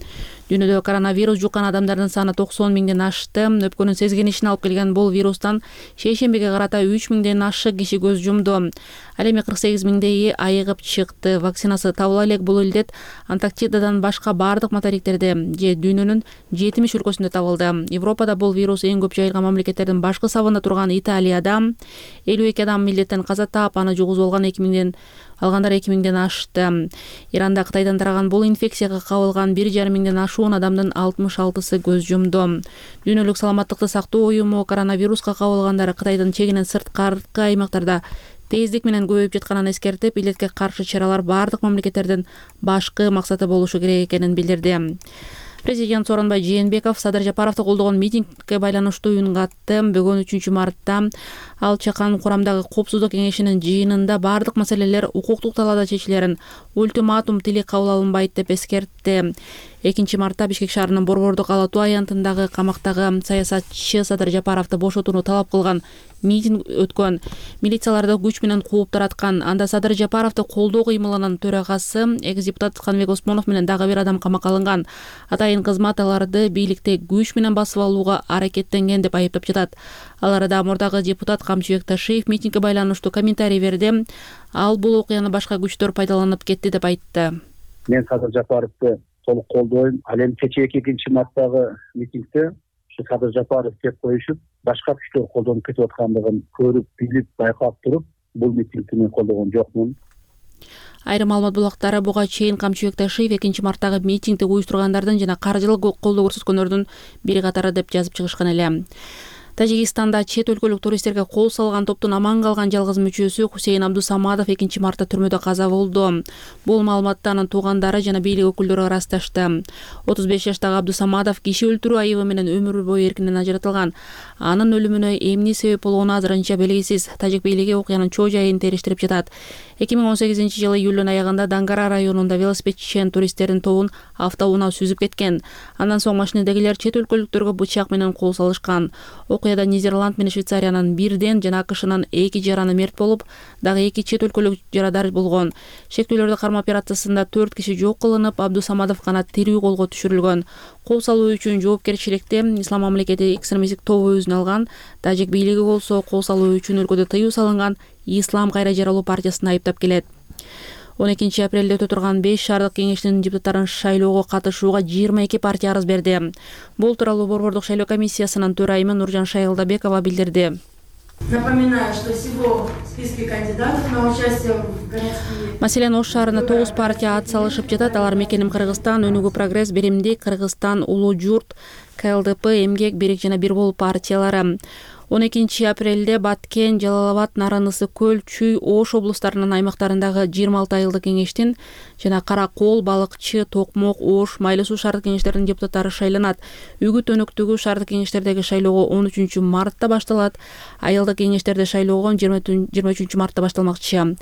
Дүйнөдө коронавирус жуккан адамдардын саны токсон миңден ашты. Өпкөнүн сезгенишин алып келген бул вирустан шейшембиге карата үч миңден ашык киши көз жумду. Ал эми кырк сегиз миңдейи айыгып чыкты. Вакцинасы табыла элек бул илдет Антарктидадан башка бардык материктерде же дүйнөнүн жетимиш өлкөсүндө табылды. Европада бул вирус эң көп жайылган мамлекеттердин башкы сабында турган Италияда элүү эки адам илдеттен каза таап, аны жугузуп алган эки миңден алгандар эки миңден ашты. Иранда Кытайдан тараган бул инфекцияга кабылган бир жарым миңден ашуун адамдын алтымыш алтысы көз жумду. Дүйнөлүк саламаттыкты сактоо уюму коронавируска кабылгандар Кытайдын чегинен сырткаркы аймактарда тездик менен көбөйүп жатканын эскертип, илдетке каршы чаралар бардык мамлекеттердин башкы максаты болушу керек экенин билдирди. Президент Сооронбай Жээнбеков Садыр Жапаровду колдогон митингге байланыштуу үн катты. Бүгүн үчүнчү мартта ал чакан курамдагы коопсуздук кеңешинин жыйынында бардык маселелер укуктук талаада чечилерин, ультиматум тили кабыл алынбайт деп эскертти. экинчи мартта Бишкек шаарынын Борбордук Ала Туу аянтындагы камактагы саясатчы Садыр Жапаровду бошотууну талап кылган митинг өткөн. Милицияларды күч менен кууп тараткан. Анда Садыр Жапаровду колдоо кыймылынын төрагасы экс-депутат Канбек Осмонов менен дагы бир адам камакка алынган. Атайын кызмат аларды бийликте күч менен басып алууга аракеттенген деп айыптап жатат. Аларда мурдагы депутат Камчыбек Ташиев митингге байланыштуу комментарий берди. Ал бул окуяны башка күчтөр пайдаланып кетти деп айтты. Мен Садыр Жапаровду толук колдойм. Ал эми кечээ экинчи марттагы митингде ушу Садыр Жапаров кеп коюшуп, башка күчтөр колдонуп кетип аткандыгын көрүп, билип, байкап туруп, бул митингди мен колдогон жокмун. Айрым маалымат булактары буга чейин Камчыбек Ташиев экинчи марттагы митингди уюштургандардын жана каржылык колдоо көрсөткөндөрдүн бири катары деп жазып чыгышкан эле. Тажикстанда чет өлкөлүк туристтерге кол салган топтун аман калган жалгыз мүчөсү Хусейн Абдусамадов экинчи мартта түрмөдө каза болду. Бул маалыматты анын туугандары жана бийлик өкүлдөрү ырасташты. отуз беш жаштагы Абдусамадов киши өлтүрүү айыбы менен өмүр бою эркинен ажыратылган. Анын өлүмүнө эмне себеп болгону азырынча белгисиз. Тажик бийлиги окуянын чоо жайын териштирип жатат. эки миң он сегизинчи жылы июлдун аягында Дангара районунда велосипедчен туристтердин тобун автоунаа сүзүп кеткен. Андан соң машинедегилер чет өлкөлүктөргө бычак менен кол салышкан. Окуяда Нидерланд менен Швейцариянын бирден жана АКШнын эки жараны мерт болуп, дагы эки чет өлкөлүк жарадар болгон. Шектүүлөрдү кармоо операциясында төрт киши жок кылынып, Абдусамадов гана тирүү колго түшүрүлгөн. Кол салуу үчүн жоопкерчиликти Ислам мамлекети экстремисттик тобу өзүнө алган. Тажик бийлиги болсо кол салуу үчүн өлкөдө тыюу салынган Ислам кайра жаралуу партиясын айыптап келет. он экинчи апрелде өтө турган беш шаардык кеңештин депутаттарын шайлоого катышууга жыйырма эки партия арыз берди. Бул тууралуу Борбордук шайлоо комиссиясынын төрайымы Нуржан Шайылдабекова билдирди. Напоминаю, что всего в списке кандидатов на участие в городские... Маселен, Ош шаарына тогуз партия ат салышып жатат. Алар Мекеним Кыргызстан, Өнүгүү Прогресс, Беримдик, Кыргызстан, Улуу Журт, КЛДП, Эмгек, Берек жана Бир болуп партиялары. он экинчи апрелде Баткен, Жалал Абад, Нарын Ысык көл, Чүй, Ош облустарынын аймактарындагы жыйырма алты айылдык кеңештин жана Кара Кол, Балыкчы, Токмок, Ош, Майлы суу шаардык кеңештеринин депутаттары шайланат. Үгүт өнөктөгү шаардык кеңештердеги шайлоого он үчүнчү мартта башталат. Айылдык кеңештерде шайлоого жыйырма үчүнчү мартта башталмакчы.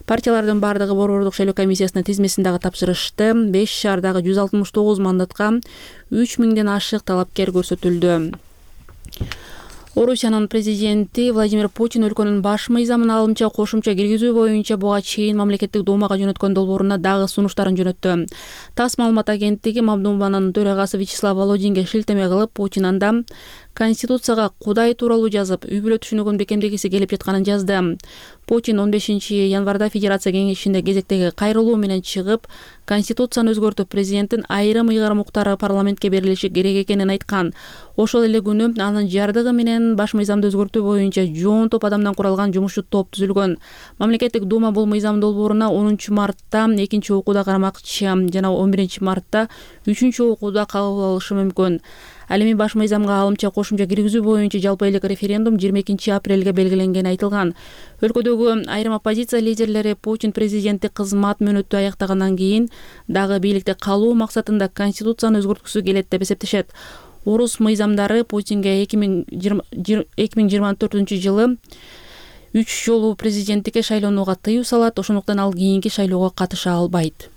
Партиялардын бардыгы борбордук шайлоо комиссиясынын тизмесин дагы тапшырышты. беш шаардагы жүз алтымыш тогуз мандатка үч миңден ашык талапкер көрсөтүлдү. Орусиянын президенти Владимир Путин өлкөнүн баш мыйзамын алымча кошумча киргизүү боюнча буга чейин мамлекеттик думага жөнөткөн долбооруна дагы сунуштарын жөнөттү. ТАСС маалымат агенттиги Мамдуманын төрагасы Вячеслав Володинге шилтеме кылып, Путин анда Конституцияга Кудай тууралуу жазып, үй бүлө түшүнүгүн бекемдегиси келип жатканын жазды. Путин он бешинчи январда Федерация кеңешинде кезектеги кайрылуу менен чыгып, Конституцияны өзгөртүп, президенттин айрым ыйгарым укуктары парламентке берилиши керек экенин айткан. Ошол эле күнү анын жардыгы менен баш мыйзамды өзгөртүү боюнча жоон топ адамдан куралган жумушчу топ түзүлгөн. Мамлекеттик дума бул мыйзам долбооруна онунчу мартта экинчи окууда карамакчы жана он биринчи мартта үчүнчү окууда кабыл алышы мүмкүн. Ал эми баш мыйзамга алымча кошумча киргизүү боюнча жалпы элдик референдум жыйырма экинчи апрелге белгиленгени айтылган. Өлкөдөгү айрым оппозиция лидерлери Путин президенттик кызмат мөөнөтү аяктагандан кийин дагы бийликте калуу максатында Конституцияны өзгөрткүсү келет деп эсептешет. Орус мыйзамдары Путинге эки миң жыйырма төртүнчү жылы үч жолу президенттикке шайлоонууга тыюу салат, ошондуктан ал кийинки шайлоого катыша албайт.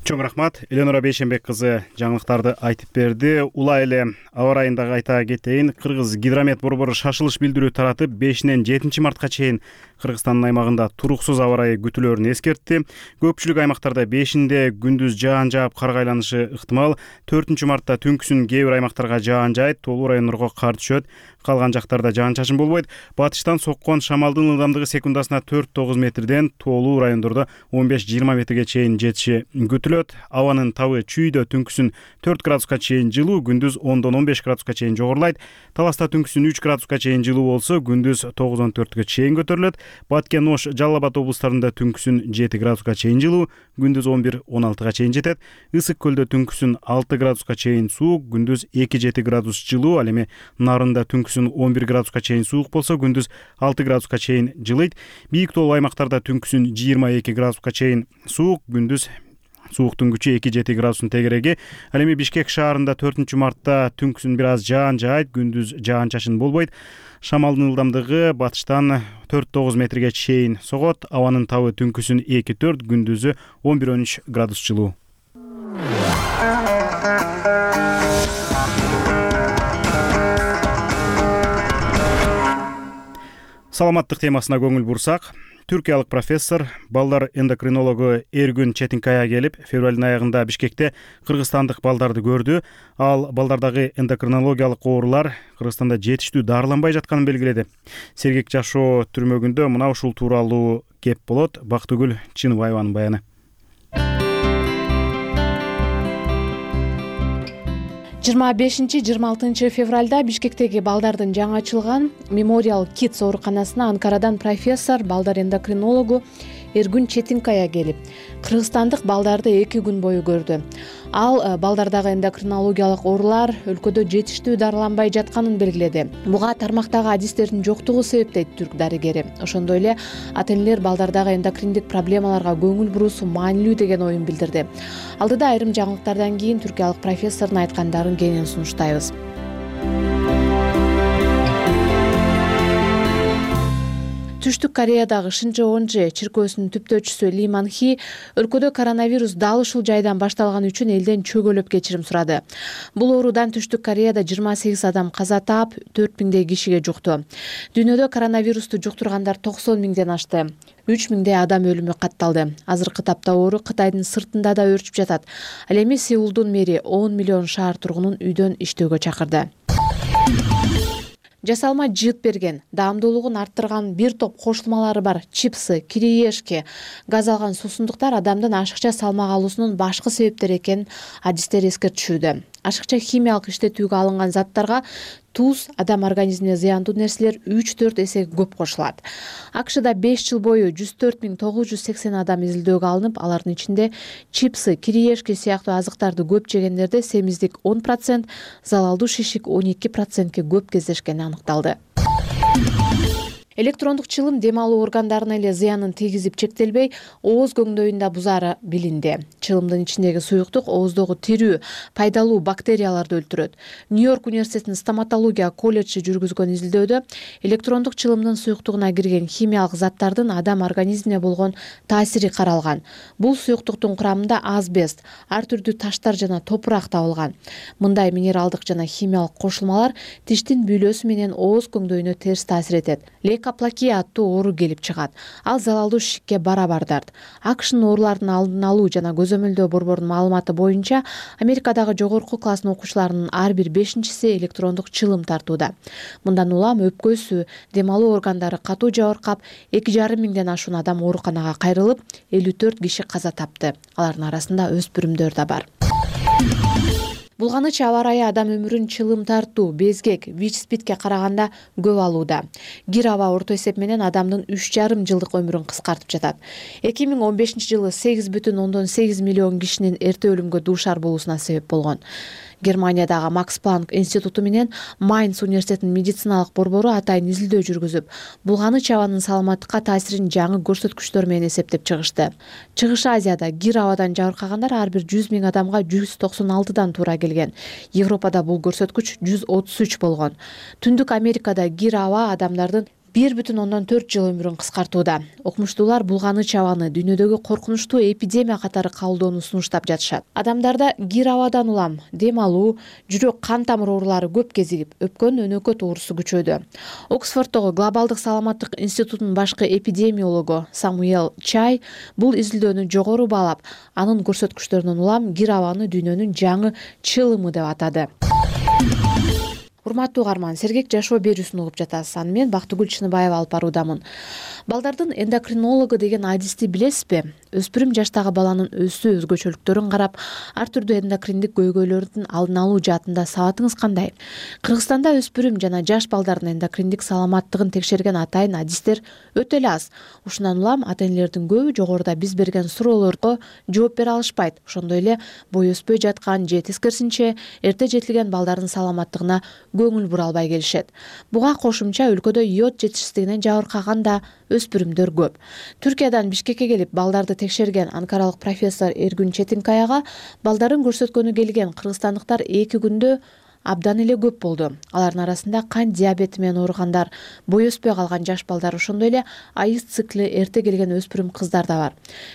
Чоң рахмат. Эленора Бейшенбек кызы жаңылыктарды айтып берди. Улай эле аба ырайын дагы айта кетейин. Кыргыз гидромет борбору шашылыш билдирүү таратып, бешинен жетинчи мартка чейин Кыргызстандын аймагында туруксуз аба ырайы күтүлөрүн эскертти. Көпчүлүк аймактарда бешинде күндүз жаан жаап кар айланышы ыктымал. төртүнчү мартта түнкүсүн кээ бир аймактарга жаан жаайт, тоолуу райондорго кар түшөт. Калган жактарда жаан-чачын болбойт. Батыштан соккон шамалдын ылдамдыгы секундасына төрт тогуз метрден тоолуу райондордо он беш жыйырма метрге чейин жетиши күтүлөт. Абанын табы Чүйдө түнкүсүн төрт градуска чейин жылуу, күндүз ондон он беш градуска чейин жогорулайт. Таласта түнкүсүн үч градуска чейин жылуу болсо, күндүз тогуздан төрткө чейин көтөрүлөт. Баткен, Ош, Жалал Абад облустарында түнкүсүн жети градуска чейин жылуу, күндүз он бир он алтыга чейин жетет. Ысык көлдө түнкүсүн алты градуска чейин суук, күндүз эки жети градус жылуу. Ал эми Нарында түнкүсүн он бир градуска чейин суук болсо, күндүз алты градуска чейин жылыйт. Бийик тоолуу аймактарда түнкүсүн жыйырма эки градуска чейин суук, күндүз сууктун күчү эки жети градустун тегереги. Ал эми Бишкек шаарында төртүнчү мартта түнкүсүн бир аз жаан жаайт, күндүз жаан-чачын болбойт. Шамалдын ылдамдыгы батыштан төрт тогуз метрге чейин согот. Абанын табы түнкүсүн эки төрт, күндүзү он бир он үч градус жылуу. Саламаттык темасына көңүл бурсак, түркиялык профессор, балдар эндокринологу Эргүн Четинкая келип, февралдын аягында Бишкекте кыргызстандык балдарды көрдү. Ал балдардагы эндокринологиялык оорулар Кыргызстанда жетиштүү дарыланбай жатканын белгиледи. Сергек жашоо түрмөгүндө мына ушул тууралуу кеп болот. Бактыгүл Чыныбаеванын баяны. жыйырма бешинчи жыйырма алтынчы февралда Бишкектеги балдардын жаңы ачылган Memorial Kids ооруканасына Анкарадан профессор, балдар эндокринологу Эргүн Четинкая келип, кыргызстандык балдарды эки күн бою көрдү. Ал балдардагы эндокринологиялык оорулар өлкөдө жетиштүү дарыланбай жатканын белгиледи. Буга тармактагы адистердин жоктугу себеп дейт түрк дарыгери. Ошондой эле ата энелер балдардагы эндокриндик проблемаларга көңүл буруусу маанилүү деген оюн билдирди. Алдыда айрым жаңылыктардан кийин түркиялык профессордун айткандарын кенен сунуштайбыз. Түштүк Кореядагы Шинчоонже чиркөөсүнүн түптөөчүсү Ли Манхи өлкөдө коронавирус дал ушул жайдан башталган үчүн элден чөгөлөп кечирим сурады. Бул оорудан Түштүк Кореяда жыйырма сегиз адам каза таап, төрт миңдей кишиге жукту. Дүйнөдө коронавирусту жуктургандар токсон миңден ашты. үч миңдей адам өлүмү катталды. Азыркы тапта оору Кытайдын сыртында да өрчүп жатат. Ал эми Сеулдун мэри он миллион шаар тургунун үйдөн иштөөгө чакырды. Жасалма жыт берген, даамдуулугун арттырган бир топ кошулмалары бар чипсы, кириешки, газ алган суусундуктар адамдын ашыкча салмак алуусунун башкы себептери экенин адистер эскертишүүдө. Ашыкча химиялык иштетүүгө алынган заттарга туз, адам организмине зыяндуу нерселер үч төрт эсе көп кошулат. АКШда беш жыл бою жүз төрт миң тогуз жүз сексен адам изилдөөгө алынып, алардын ичинде чипсы, кириешки сыяктуу азыктарды көп жегендерде семиздик он процент, залалдуу шишик он эки процентке көп кездешкени аныкталды. электрондук чылым дем алуу органдарына эле зыянын тийгизип чектелбей, ооз көңдөйүн да бузаары билинди. Чылымдын ичиндеги суюктук ооздогу тирүү, пайдалуу бактерияларды өлтүрөт. Нью-Йорк университетинин стоматология колледжи жүргүзгөн изилдөөдө электрондук чылымдын суюктугуна кирген химиялык заттардын адам организмине болгон таасири каралган. Бул суюктуктун курамында асбест, ар түрдүү таштар жана топурак табылган. Мындай минералдык жана химиялык кошулмалар тиштин бүйлөсү менен ооз көңдөйүнө терс таасир этет. Лейкоплакия аттуу оору келип чыгат. Ал залалдуу шикке барабар дарт. АКШнын оорулардын алдын алуу жана көзөмөлдөө борборунун маалыматы боюнча, Америкадагы жогорку класстын окуучуларынын ар бир бешинчиси электрондук чылым тартууда. Мындан улам өпкөсү, дем алуу органдары катуу жабыркап, эки жарым миңден ашуун адам ооруканага кайрылып, элүү төрт киши каза тапты. Алардын арасында өспүрүмдөр да бар. Булганыч аба ырайы адам өмүрүн чылым тартуу, безгек, ВИЧ-спидке караганда көп алууда. Кир аба орто эсеп менен адамдын үч жарым жылдык өмүрүн кыскартып жатат. эки миң он бешинчи жылы сегиз бүтүн ондон сегиз миллион кишинин эрте өлүмгө дуушар болуусуна себеп болгон. Германиядагы Макс Планк институту менен Майнц университетинин медициналык борбору атайын изилдөө жүргүзүп, булганыч абанын саламаттыкка таасирин жаңы көрсөткүчтөр менен эсептеп чыгышты. Чыгыш Азияда кир абадан жабыркагандар ар бир жүз миң адамга жүз токсон алтыдан туура келген. Европада бул көрсөткүч жүз отуз үч болгон. Түндүк Америкада кир аба адамдардын бир бүтүн ондон төрт жыл өмүрүн кыскартууда. Окумуштуулар булганыч абаны дүйнөдөгү коркунучтуу эпидемия катары кабылдоону сунуштап жатышат. Адамдарда кир абадан улам дем алуу, жүрөк кан тамыр оорулары көп кезигип, өпкөн өнөкөт оорусу күчөдү. Оксфорддогу Глобалдык саламаттык институтунун башкы эпидемиологу Самуэл Чай бул изилдөөнү жогору баалап, анын көрсөткүчтөрүнөн улам кир абаны дүйнөнүн жаңы чылымы деп атады. Урматтуу угарман, сергек жашоо берүүсүн угуп жатасыз. Аны мен Бактыгүл Чыныбаева алып баруудамын. Балдардын эндокринологу деген адисти билесизби? Өспүрүм жаштагы баланын өсүү өзгөчөлүктөрүн карап, ар түрдүү эндокриндик көйгөйлөрдүн алдын алуу жаатында сабатыңыз кандай? Кыргызстанда өспүрүм жана жаш балдардын эндокриндик саламаттыгын текшерген атайын адистер өтө эле аз. Ушундан улам ата-энелердин көбү жогоруда биз берген суроолорго жооп бере алышпайт. Ошондой эле бой өспөй жаткан же тескерисинче эрте жетилген балдардын саламаттыгына көңүл бура албай келишет. Буга кошумча өлкөдө йод жетишсиздигинен жабыркаган да өспүрүмдөр көп. Түркиядан Бишкекке келип балдарды текшерген анкаралык профессор Эргүн Четинкаяга балдарын көрсөткөнү келген кыргызстандыктар эки күндө абдан эле көп болду. Алардын арасында кан диабети менен ооругандар, бой өспөй калган жаш балдар, ошондой эле айыз цикли эрте келген өспүрүм кыздар да бар.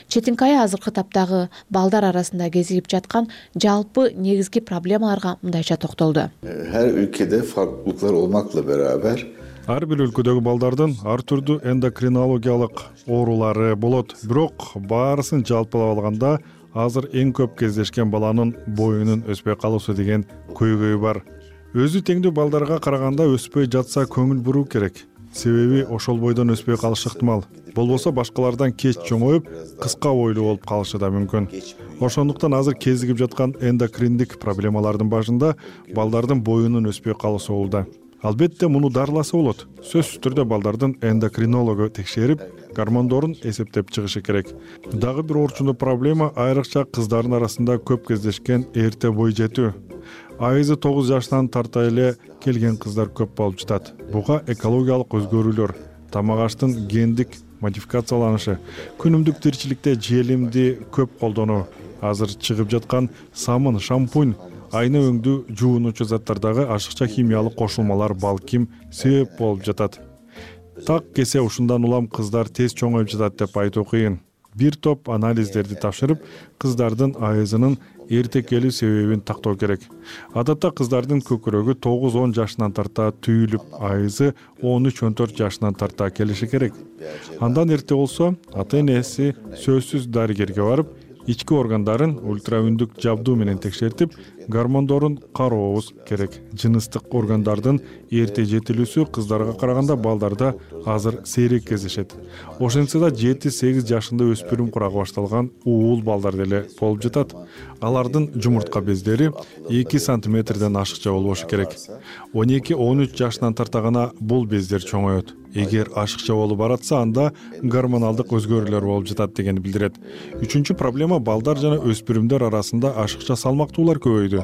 Четинкая азыркы таптагы балдар арасында кезигип жаткан жалпы негизги проблемаларга мындайча токтолду. Her ülkede farklılıklar olmakla beraber ар бир өлкөдөгү балдардын ар түрдүү эндокринологиялык оорулары болот. Бирок баарысын жалпылап алганда азыр эң көп кездешкен баланын боюнун өспөй калуусу деген көйгөй бар. Өзү теңдүү балдарга караганда өспөй жатса көңүл буруу керек. Себеби ошол бойдон өспөй калышы ыктымал. Болбосо башкалардан кеч чоңоюп, кыска бойлуу болуп калышы да мүмкүн. Ошондуктан азыр кезигип жаткан эндокриндик проблемалардын башында балдардын боюнун өспөй калуусу болууда. Албетте муну дарыласа болот. Сөзсүз түрдө балдардын эндокринологу текшерип, гормондорун эсептеп чыгышы керек. Дагы бир орчундуу проблема айрыкча кыздардын арасында көп кездешкен эрте бой жетүү. Айызы тогуз жаштан тарта эле келген кыздар көп болуп жатат. Буга экологиялык өзгөрүүлөр, тамак аштын гендик модификацияланышы, күнүмдүк тиричиликте желимди көп колдонуу, азыр чыгып жаткан самын, шампунь, айна өңдүү жуунуучу заттардагы ашыкча химиялык кошулмалар балким себеп болуп жатат. Так кесе ушундан улам кыздар тез чоңоюп жатат деп айтуу кыйын. Бир топ анализдерди тапшырып, кыздардын айызынын эрте келүү себебин тактоо керек. Адатта кыздардын көкүрөгү тогуз он жашынан тарта түйүлүп, айызы он үч он төрт жашынан тарта келиши керек. Андан эрте болсо, ата-энеси сөзсүз дарыгерге барып, ички органдарын ультраүндүк жабдуу менен текшертип, гормондорун карообуз керек. Жыныстык органдардын эрте жетилүүсү кыздарга караганда балдарда азыр сейрек кездешет. Ошентсе да жети сегиз жашында өспүрүм курагы башталган уул балдар деле болуп жатат. Алардын жумуртка бездери эки сантиметрден ашыкча болбошу керек. он эки он үч жашынан тарта гана бул бездер чоңоет. Эгер ашыкча болуп баратса, анда гормоналдык өзгөрүүлөр болуп жатат дегенди билдирет. Үчүнчү проблема балдар жана өспүрүмдөр арасында ашыкча салмактуулар көбөйдү.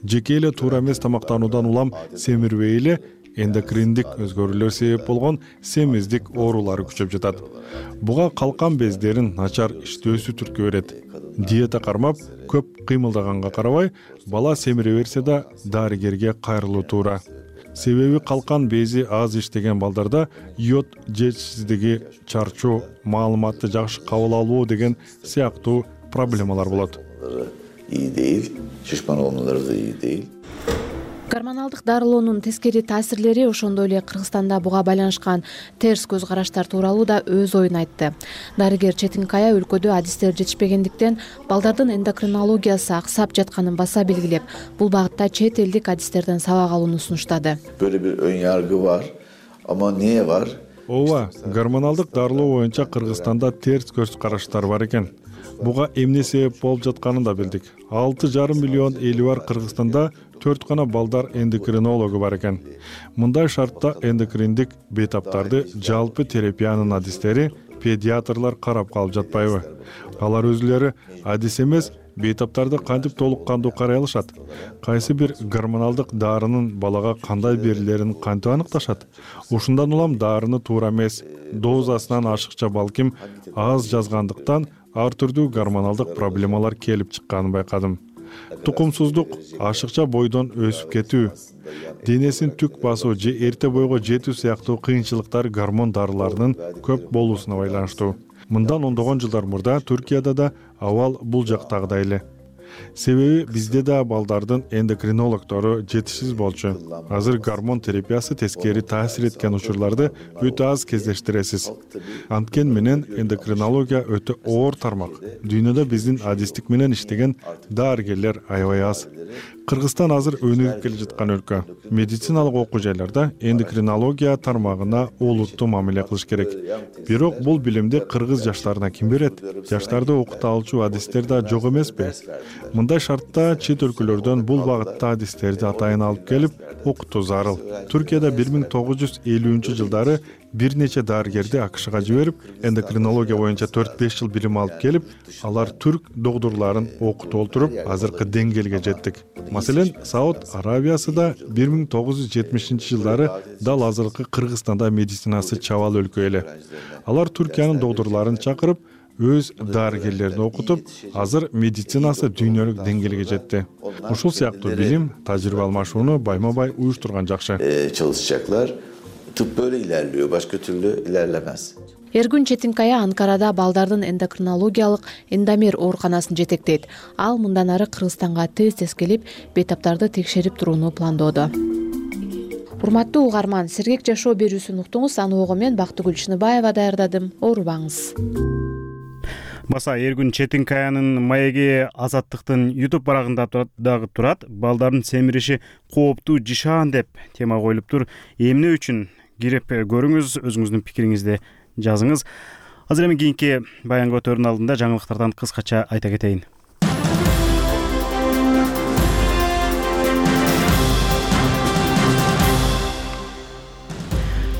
Жеке эле туура эмес тамактануудан улам семирбей эле эндокриндик өзгөрүүлөр себеп болгон семиздик оорулары күчөп жатат. Буга калкан бездерин начар иштөөсү түрткү берет. Диета кармап, көп кыймылдаганга карабай, бала семире берсе да дарыгерге кайрылуу туура. Себеби калкан бези аз иштеген балдарда йод жетишсиздиги, чарчоо, маалыматты жакшы кабыл албоо деген сыяктуу проблемалар болот. İyi değil, şişman olmaları da iyi değil. Гормоналдык дарылоонун тескери таасирлери, ошондой эле Кыргызстанда буга байланышкан терс көз караштар тууралуу да өз оюн айтты. Дарыгер Четинкая өлкөдө адистер жетишпегендиктен балдардын эндокринологиясы аксап жатканын баса белгилеп, бул багытта чет элдик адистерден сабак алууну сунуштады. Böyle bir ön yargı var ama niye var? Ооба, гормоналдык дарылоо боюнча Кыргызстанда терс көз караштар бар экен. Буга эмне себеп болуп жатканын да билдик. алты жарым миллион эли бар Кыргызстанда төрт гана балдар эндокринологу бар экен. Мындай шартта эндокриндик бейтаптарды жалпы терапиянын адистери, педиатрлар карап калып жатпайбы? Алар өзүлөрү адис эмес, бейтаптарды кантип толук кандуу карай алышат? Кайсы бир гормоналдык дарынын балага кандай берилерин кантип аныкташат? Ушундан улам дарыны туура эмес, дозасынан ашыкча балким аз жазгандыктан ар түрдүү гормоналдык проблемалар келип чыкканын байкадым. Тукумсуздук, ашыкча бойдон өсүп кетүү, денесин түк басуу же эрте бойго жетүү сыяктуу кыйынчылыктар гормон дарыларынын көп болуусуна байланыштуу. Мындан ондогон жылдар мурда Түркияда да абал бул жактагыдай эле. Себеби бизде да балдардын эндокринологдору жетишсиз болчу. Азыр гормон терапиясы тескери таасир эткен учурларды өтө аз кездештиресиз. Анткени менен эндокринология өтө оор тармак. Дүйнөдө биздин адистик менен иштеген дарыгерлер аябай аз. Кыргызстан азыр өнүгүп келе жаткан өлкө. Медициналык окуу жайларда эндокринология тармагына олуттуу мамиле кылыш керек. Бирок бул билимди кыргыз жаштарына ким берет? Жаштарды окута алчу адистер да жок эмеспи? Мындай шартта чет өлкөлөрдөн бул багытта адистерди атайын алып келип окутуу зарыл. Түркияда бир миң тогуз жүз элүүнчү жылдары бир нече дарыгерди АКШга жиберип, эндокринология боюнча төрт беш жыл билим алып келип, алар түрк докторлорун окутуп олтуруп, азыркы деңгээлге жеттик. Маселен, Сауд Арабиясы да бир миң тогуз жүз жетимишинчи жылдары дал азыркы Кыргызстанда медицинасы чабал өлкө эле. Алар Түркиянын докторлорун чакырып, өз дарыгерлерин окутуп, азыр медицинасы дүйнөлүк деңгээлге жетти. Ушул сыяктуу билим, тажрыйба алмашууну байма-бай уюштурган жакшы. Çalışacaklar. Tıp böyle ilerliyor, başka türlü ilerlemez. Эргүн Четинкая Анкарада балдардын эндокринологиялык Эндомер ооруканасын жетектейт. Ал мындан ары Кыргызстанга тез-тез келип, бейтаптарды текшерип турууну пландоодо. Урматтуу угарман, сергек жашоо берүүсүн уктуңуз. Аны ого мен Бактыгүл Чыныбаева даярдадым. Оорубаңыз. Баса Эргүн Четинкаянын маеги Азаттыктын YouTube барагында дагы турат. Балдардын семириши кооптуу жишан деп тема коюлуп тур. Эмне үчүн кирип көрүңүз, өзүңүздүн пикириңизди жазыңыз. Азыр эми кийинки баян көтөрүүнүн алдында жаңылыктардан кыскача айта кетейин.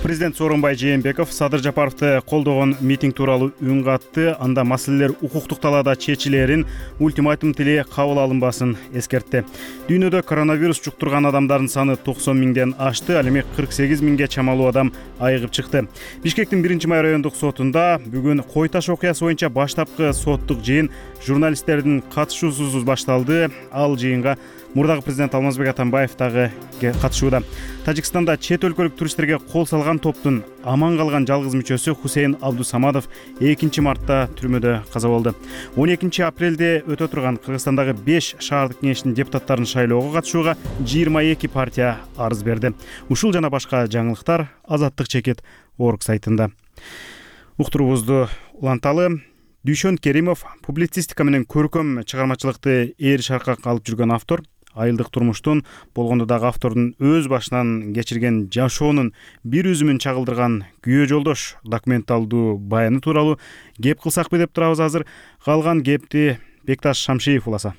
Президент Сооронбай Жээнбеков Садыр Жапаровду колдогон митинг тууралуу үн катты. Анда маселелер укуктук талаада чечилерин, ультиматум тили кабыл алынбасын эскертти. Дүйнөдө коронавирус жуктурган адамдардын саны токсон миңден ашты, ал эми кырк сегиз миңге чамалуу адам айыгып чыкты. Бишкектин биринчи май райондук сотунда бүгүн Кой Таш окуясы боюнча баштапкы соттук жыйын журналисттердин катышуусуз башталды. Ал жыйынга мурдагы президент Алмазбек Атамбаев дагы катышууда. Тажикстанда чет өлкөлүк туристтерге кол салган топтун аман калган жалгыз мүчөсү Хусейн Абдусамадов экинчи мартта түрмөдө каза болду. он экинчи апрелде өтө турган Кыргызстандагы беш шаардык кеңештин депутаттарын шайлоого катышууга жыйырма эки партия арыз берди. Ушул жана башка жаңылыктар Азаттык чекит орг сайтында. Уктуруубузду уланталы. Дүйшөн Керимов публицистика менен көркөм чыгармачылыкты ээр шаркак алып жүргөн автор. Айылдык турмуштун, болгондо дагы автордун өз башынан кечирген жашоонун бир үзүмүн чагылдырган Күйөө жолдош документалдуу баяны тууралуу кеп кылсакпы деп турабыз азыр. Калган кепти Бекташ Шамшиев уласа.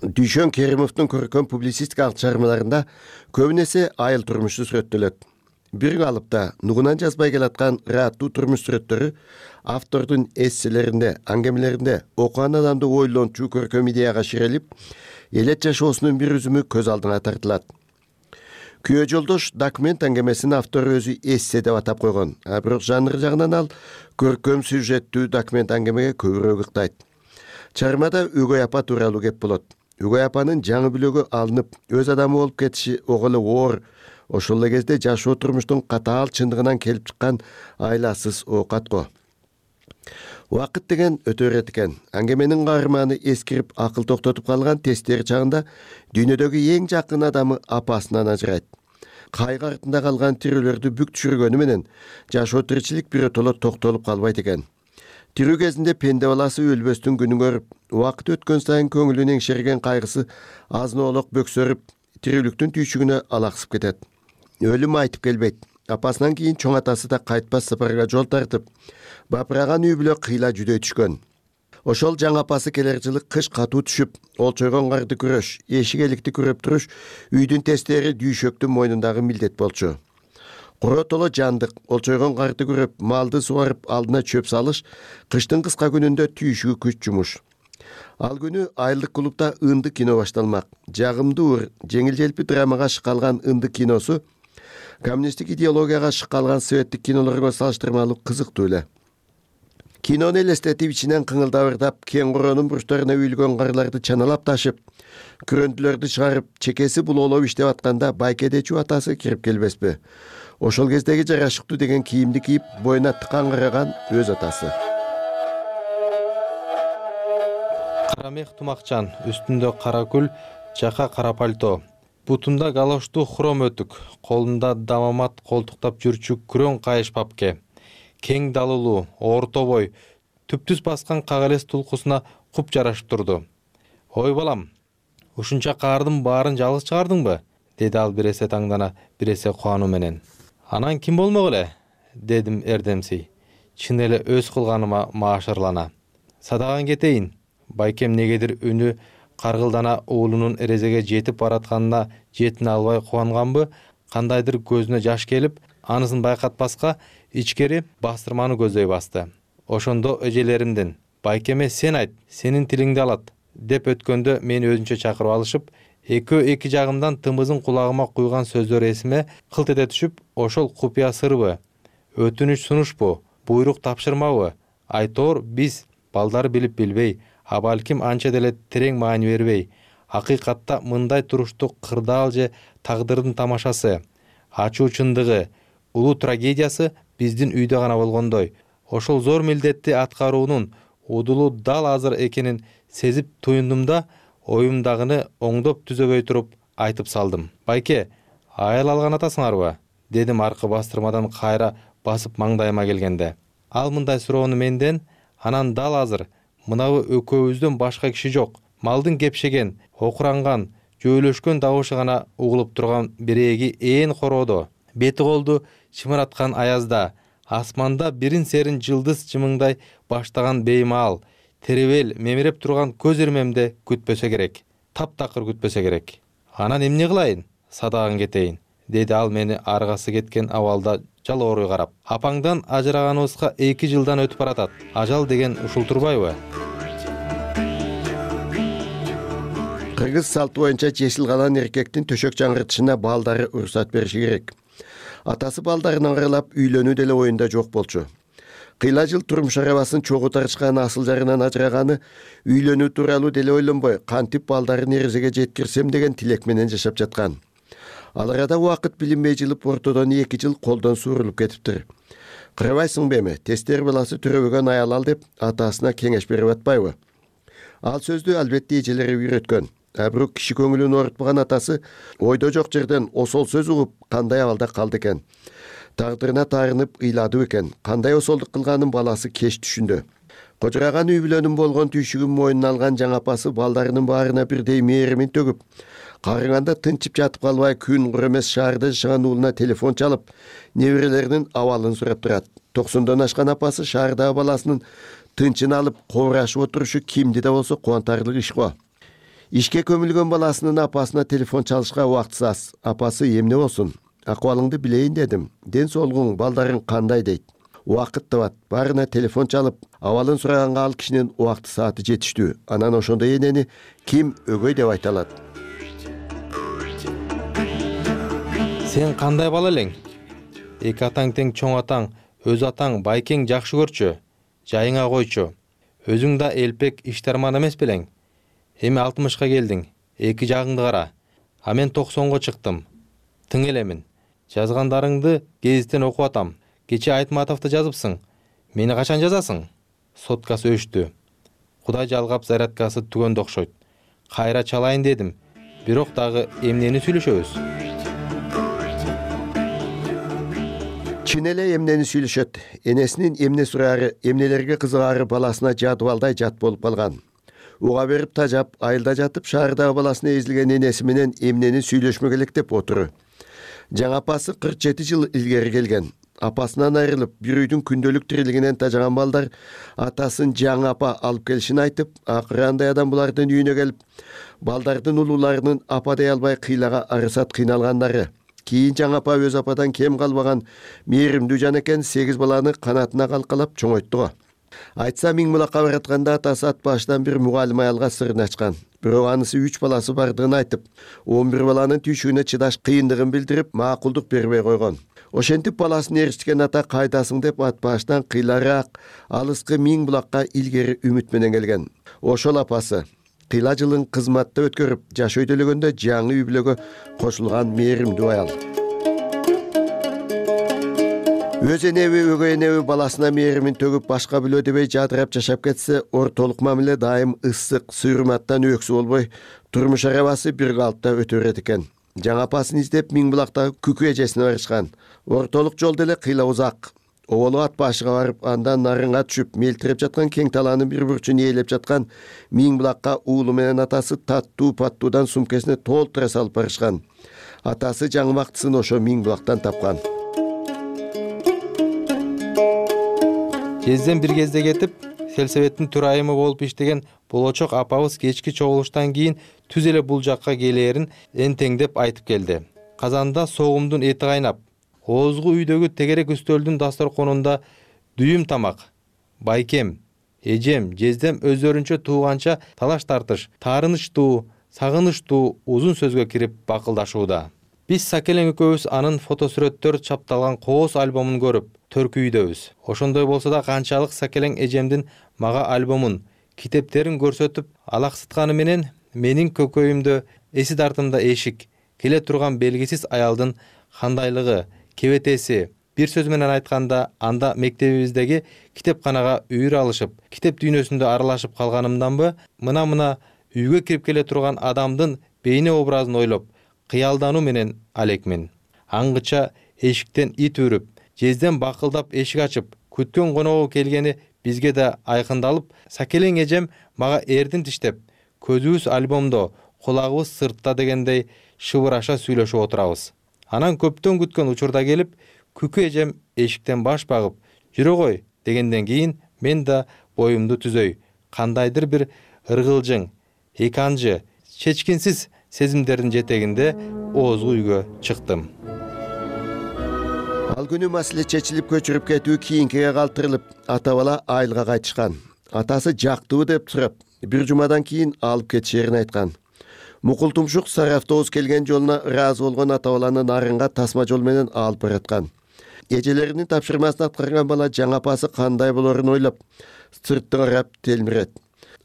Дүйшөн Керимовдун көркөм публицистикалык чыгармаларында көбүнесе айыл турмушу сүрөттөлөт. Бир калыпта нугунан жазбай келаткан ырааттуу турмуш сүрөттөрү автордун эсселеринде, аңгемелеринде окуган адамды ойлончу көркөм идеяга ширелип, элет жашоосунун бир үзүмү көз алдына тартылат. Күйөө жолдош документ аңгемесинин автору өзү эссе деп атап койгон. А бирок жанры жагынан ал көркөм сюжеттүү документ аңгемеге көбүрөөк ыктайт. Чыгармада өгөй апа тууралуу кеп болот. Өгөй апанын жаңы бүлөгө алынып, өз адамы болуп кетиши ого эле оор. Ошол эле кезде жашоо турмуштун катаал чындыгынан келип чыккан айласыз оокат го. Убакыт деген өтө берет экен. Аңгеменин каарманы эскирип, акыл токтотуп калган тесттер чагында дүйнөдөгү эң жакын адамы апасынан ажырайт. Кайгы артында калган тирүүлөрдү бүк түшүргөнү менен жашоо тиричилик биротоло токтолуп калбайт экен. Тирүү кезинде пенде баласы өлбөстүн күнүн көрүп, убакыт өткөн сайын көңүлүн эңшерген кайгысы азын-оолок бөксөрүп, тирүүлүктүн түйшүгүнө алаксып кетет. Өлүм айтып келбейт. Апасынан кийин чоң атасы да кайтпас сапарга жол тартып, бапыраган үй бүлө кыйла жүдөй түшкөн. Ошол жаңы апасы келер жылы кыш катуу түшүп, олчойгон карды күрөш, эшик эликти күрөп туруш үйдүн тестери дүйшөктүн мойнундагы милдет болчу. Коротоло жандык, олчойгон карды күрөп, малды суарып, алдына чөп салыш кыштын кыска күнүндө түйшүгү күч жумуш. Ал күнү айылдык клубда ындык кино башталмак. Жагымдуу, жеңил желпи драмага шыккалган ындык киносу коммунисттик идеологияга шыккалган советтик кинолорго салыштырмалуу кызыктуу эле. Кинону элестетип ичинен кыңылдабырдап, кең коронун бурчтарына үйүлгөн карларды чаналап ташып, күрөндүлөрдү чыгарып, чекеси булоолоп иштеп атканда байкедечүү атасы кирип келбеспи? Ошол кездеги жарашыктуу деген кийимди кийип, боюна тыкан караган өз атасы. Кара мех тумакчан, үстүндө кара күл, жака кара пальто. Бутунда галоштуу хром өтүк, колунда дамамат колтуктап жүрчү күрөң кайыш папке. Кең далылуу, орто бой, түптүс баскан кагалес тулкусуна куп жарашып турду. Ой балам, ушунча каардын баарын жалгыз чыгардыңбы? Деди ал биресе таңдана, биресе кубануу менен. Анан ким болмок эле? Дедим эрдемсий. Чын эле өз кылганыма маашырлана. Садаган кетейин. Байкем негедир үнү каргылдана уулунун эрезеге жетип баратканына жетине албай кубанганбы, кандайдыр көзүнө жаш келип, анысын байкатпаска ичкери бастырманы көздөй басты. Ошондо эжелеримдин «Байкеме сен айт, сенин тилиңди алат» деп өткөндө мени өзүнчө чакырып алышып, экөө эки жагымдан тымызын кулагыма куйган сөздөр эсиме кылт эте түшүп, ошол купуя сырбы, өтүнүч сунушпу, буйрук тапшырмабы, айтор биз балдар билип билбей, а балким анча деле терең маани бербей, акыйкатта мындай туруштук кырдаал же тагдырдын тамашасы, ачуу чындыгы, улуу трагедиясы биздин үйдө гана болгондой, ошол зор милдетти аткаруунун удулу дал азыр экенин сезип туюндум да, оюмдагыны оңдоп түзөбөй туруп айтып салдым. Байке, аял алган атасыңарбы? Дедим аркы бастырмадан кайра басып маңдайыма келгенде. Ал мындай суроону менден, анан дал азыр мынабы экөөбүздөн башка киши жок. Малдын кепшеген, окуранган, жөөлөшкөн добушу гана угулуп турган биреги ээн короодо, бети колду чымыраткан аязда, асманда бирин серин жылдыз чымыңдай баштаган беймаал, теребел мемиреп турган көз ирмемде күтпөсө керек. Таптакыр күтпөсө керек. Анан эмне кылайын? Садаган кетейин, деди ал мени аргасы кеткен абалда жалооруй карап. Апаңдан ажыраганыбызга эки жылдан өтүп баратат. Ажал деген ушул турбайбы? Кыргыз салты боюнча жесил калан эркектин төшөк жаңыртышына балдары уруксат бериши керек. Атасы балдарын аңгыралап үйлөнүү деле оюнда жок болчу. Кыйла жыл турмуш арабасын чогуу тарчкан асыл жарынан ажыраганы үйлөнүү тууралуу деле ойлонбой, кантип балдарын эрезеге жеткирсем деген тилек менен жашап жаткан. Ал арада убакыт билинбей жылып, ортодон эки жыл колдон суурулуп кетиптир. Кырабайсыңбы эми, тестер баласы төрөбөгөн аял ал деп атасына кеңеш берип атпайбы? Ал сөздү албетте эжелери үйрөткөн. А бирок киши көңүлүн оорутпаган атасы ойдо жок жерден осол сөз угуп, кандай абалда калды экен. Тагдырына таарынып ыйлады экен. Кандай осолдук кылганын баласы кеч түшүндү. Кожураган үй бүлөнүн болгон түйшүгүн мойнуна алган жаңы апасы балдарынын баарына бирдей мээримин төгүп, карыганда тынчып жатып калбай күн кур эмес шаарда жашаган уулуна телефон чалып, неберелеринин абалын сурап турат. токсондон ашкан апасы шаардагы баласынын тынчын алып кобурашып отурушу кимди да болсо кубантарлык иш го. Ишке көмүлгөн баласынын апасына телефон чалышка убактысы аз. Апасы эмне болсун? Акыбалыңды билейин дедим. Ден соолугуң, балдарың кандай дейт? Убакыт табат. Баарына телефон чалып, абалын сураганга ал кишинин убакты сааты жетиштүү. Анан ошондой энени ким өгөй деп айта алат? Сен кандай бала элең? Эки атаң тең чоң атаң, өз атаң Байкең жакшы көрчү. Жайыңа койчу. Өзүң да элпек иштарман эмес белең? Эми алтымышка келдиң. Эки жагыңды кара. А мен токсонго чыктым. Тың элемин. Жазгандарыңды гезиттен окуп атам. Кече Айтматовду жазыпсың. Мени качан жазасың? Соткасы өчтү. Кудай жалгап зарядкасы түгөндө окшойт. Кайра чалайын дедим. Бирок дагы эмнени сүйлөшөбүз? Чын эле эмнени сүйлөшөт. Энесинин эмне сураары, эмнелерге кызыгаары баласына жадыбалдай жат болуп калган. Уга берип тажап, айылда жатып шаардагы баласына эзилген энеси менен эмнени сүйлөшмөк элек деп отуру. Жаңы апасы кырк жети жыл илгери келген. Апасынан айрылып, бир үйдүн күндөлүк тирилигинен тажаган балдар атасын жаңы апа алып келишин айтып, акыры андай адам булардын үйүнө келип, балдардын улууларынын апа дей албай кыйлага арысат кыйналгандары. Кийин жаңы апа өз ападан кем калбаган мээримдүү жан экен сегиз баланы канатына калкалап чоңойтту. Айтса миң мулакка баратканда атасы ат башынан бир мугалим аялга сырын ачкан. Бирок анысы үч баласы бардыгын айтып, он бир баланын түйшүгүнө чыдаш кыйындыгын билдирип, макулдук бербей койгон. Ошентип баласын эричткен ата кайдасың деп ат башынан кыйлараак, алыскы миң булакка илгери үмүт менен келген. Ошол апасы кыйла жылын кызматта өткөрүп, жаш өйдөлөгөндө жаңы үй бүлөгө кошулган мээримдүү аял. Өз энеби, өгөй энеби баласына мээримин төгүп башка бүлө дебей жадырап жашап кетсе, ортолук мамиле дайым ысык, сүйрүматтан өксү болбой, турмуш арабасы бир калыпта өтө берет экен. Жаңы апасын издеп миң булактагы күкү эжесине барышкан. Ортолук жол деле кыйла узак. Оболу ат башыга барып, андан нарынга түшүп, мелтиреп жаткан кең талаанын бир бурчун ээлеп жаткан миң булакка уулу менен атасы таттуу паттуудан сумкесине толтура салып барышкан. Атасы жаңы мактысын ошо миң булактан тапкан. Кезден бир кезде кетип, сельсоветтин төрайымы болуп иштеген болочок апабыз кечки чогулуштан кийин түз эле бул жакка келээрин энтеңдеп айтып келди. Казанда согумдун эти кайнап, оозгу үйдөгү тегерек үстөлдүн дасторконунда дүйүм тамак. Байкем, эжем, жездем өздөрүнчө тууганча талаш тартыш, таарынычтуу, сагынычтуу узун сөзгө кирип бакылдашууда. Биз Сакелең экөөбүз анын фотосүрөттөр чапталган кооз альбомун көрүп, төркүйдөбүз. Ошондой болсо да канчалык Сакелең эжемдин мага альбомун, китептерин көрсөтүп алаксытканы менен менин көкөйүмдө, эси дартымда эшик, келе турган белгисиз аялдын кандайлыгы, кебетеси, бир сөз менен айтканда, анда мектебибиздеги китепканага үйүр алышып, китеп дүйнөсүндө аралашып калганымданбы, мына-мына үйгө кирип келе турган адамдын бейне образын ойлоп, кыялдануу менен алекмин. Аңгыча эшиктен ит үрүп, жезден бакылдап эшик ачып, күткөн коногу келгени бизге да айкындалып, Сакелең эжем мага эрдин тиштеп, көзүбүз альбомдо, кулагыбыз сыртта дегендей шыбыраша сүйлөшүп отурабыз. Анан көптөн күткөн учурда келип, күкү эжем эшиктен баш багып, жүрө кой дегенден кийин мен да боюмду түзөй, кандайдыр бир ыргылжың, эканжы, чечкинсиз сезимдердин жетегинде оозгу үйгө чыктым. Ал күнү маселе чечилип көчүрүп кетүү кийинкиге калтырылып, ата бала айылга кайтышкан. Атасы жактыбы деп сурап, бир жумадан кийин алып кетишерин айткан. Мукул тумшук сары автобус келген жолуна ыраазы болгон ата баланы нарынга тасма жол менен алып бараткан. Эжелеринин тапшырмасын аткарган бала жаңы апасы кандай болорун ойлоп, сырттан карап телмирет.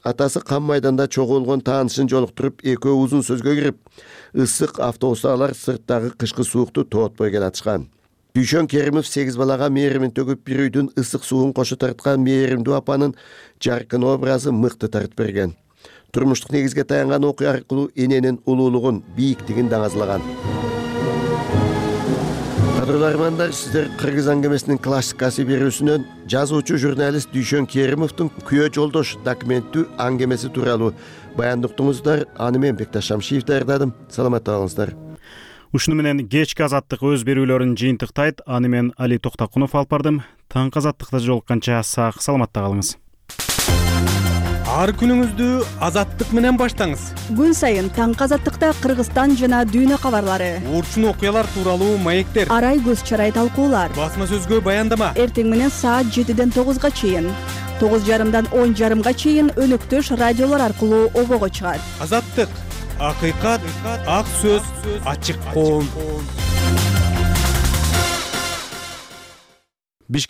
Атасы кам майданда чогуу болгон таанышын жолуктуруп, экөө узун сөзгө кирип, ысык автобустагылар сырттагы кышкы суукту тоотпой келатышкан. Дүйшөн Керимов сегиз балага мээримин төгүп, бир үйдүн ысык суун кошу тарткан мээримдүү апанын жаркын образы мыкты тартып берген. Турмуштук негизге таянган окуя аркылуу эненин улуулугун, бийиктигин даңазлаган. Кадырлуу армандар, сиздер Кыргыз аңгемесинин классикасы берүүсүнөн жазуучу журналист Дүйшөн Керимовдун Күйөө жолдош документтүү аңгемеси тууралуу баяндыктыңыздар. Аны мен Бекташ Шамшиев даярдадым. Саламатта болуңуздар. Ушуну менен кечки азаттык өз берүүлөрүн жыйынтыктайт. Аны мен Али Токтакунов алып бардым. Таңкы азаттыкта жолукканча сак саламатта калыңыз. Ар күнүңүздү азаттык менен баштаңыз. Күн сайын таңкы азаттыкта Кыргызстан жана дүйнө кабарлары, урчун окуялар тууралуу маектер, арай көз чарай талкуулар, басма сөзгө баяндама. Эртең менен саат жетиден тогузга чейин, тогуз жарымдан он жарымга чейин өнөктөш радиолор аркылуу обого чыгат. Азаттык, акыйкат, ак сөз, ачык коом.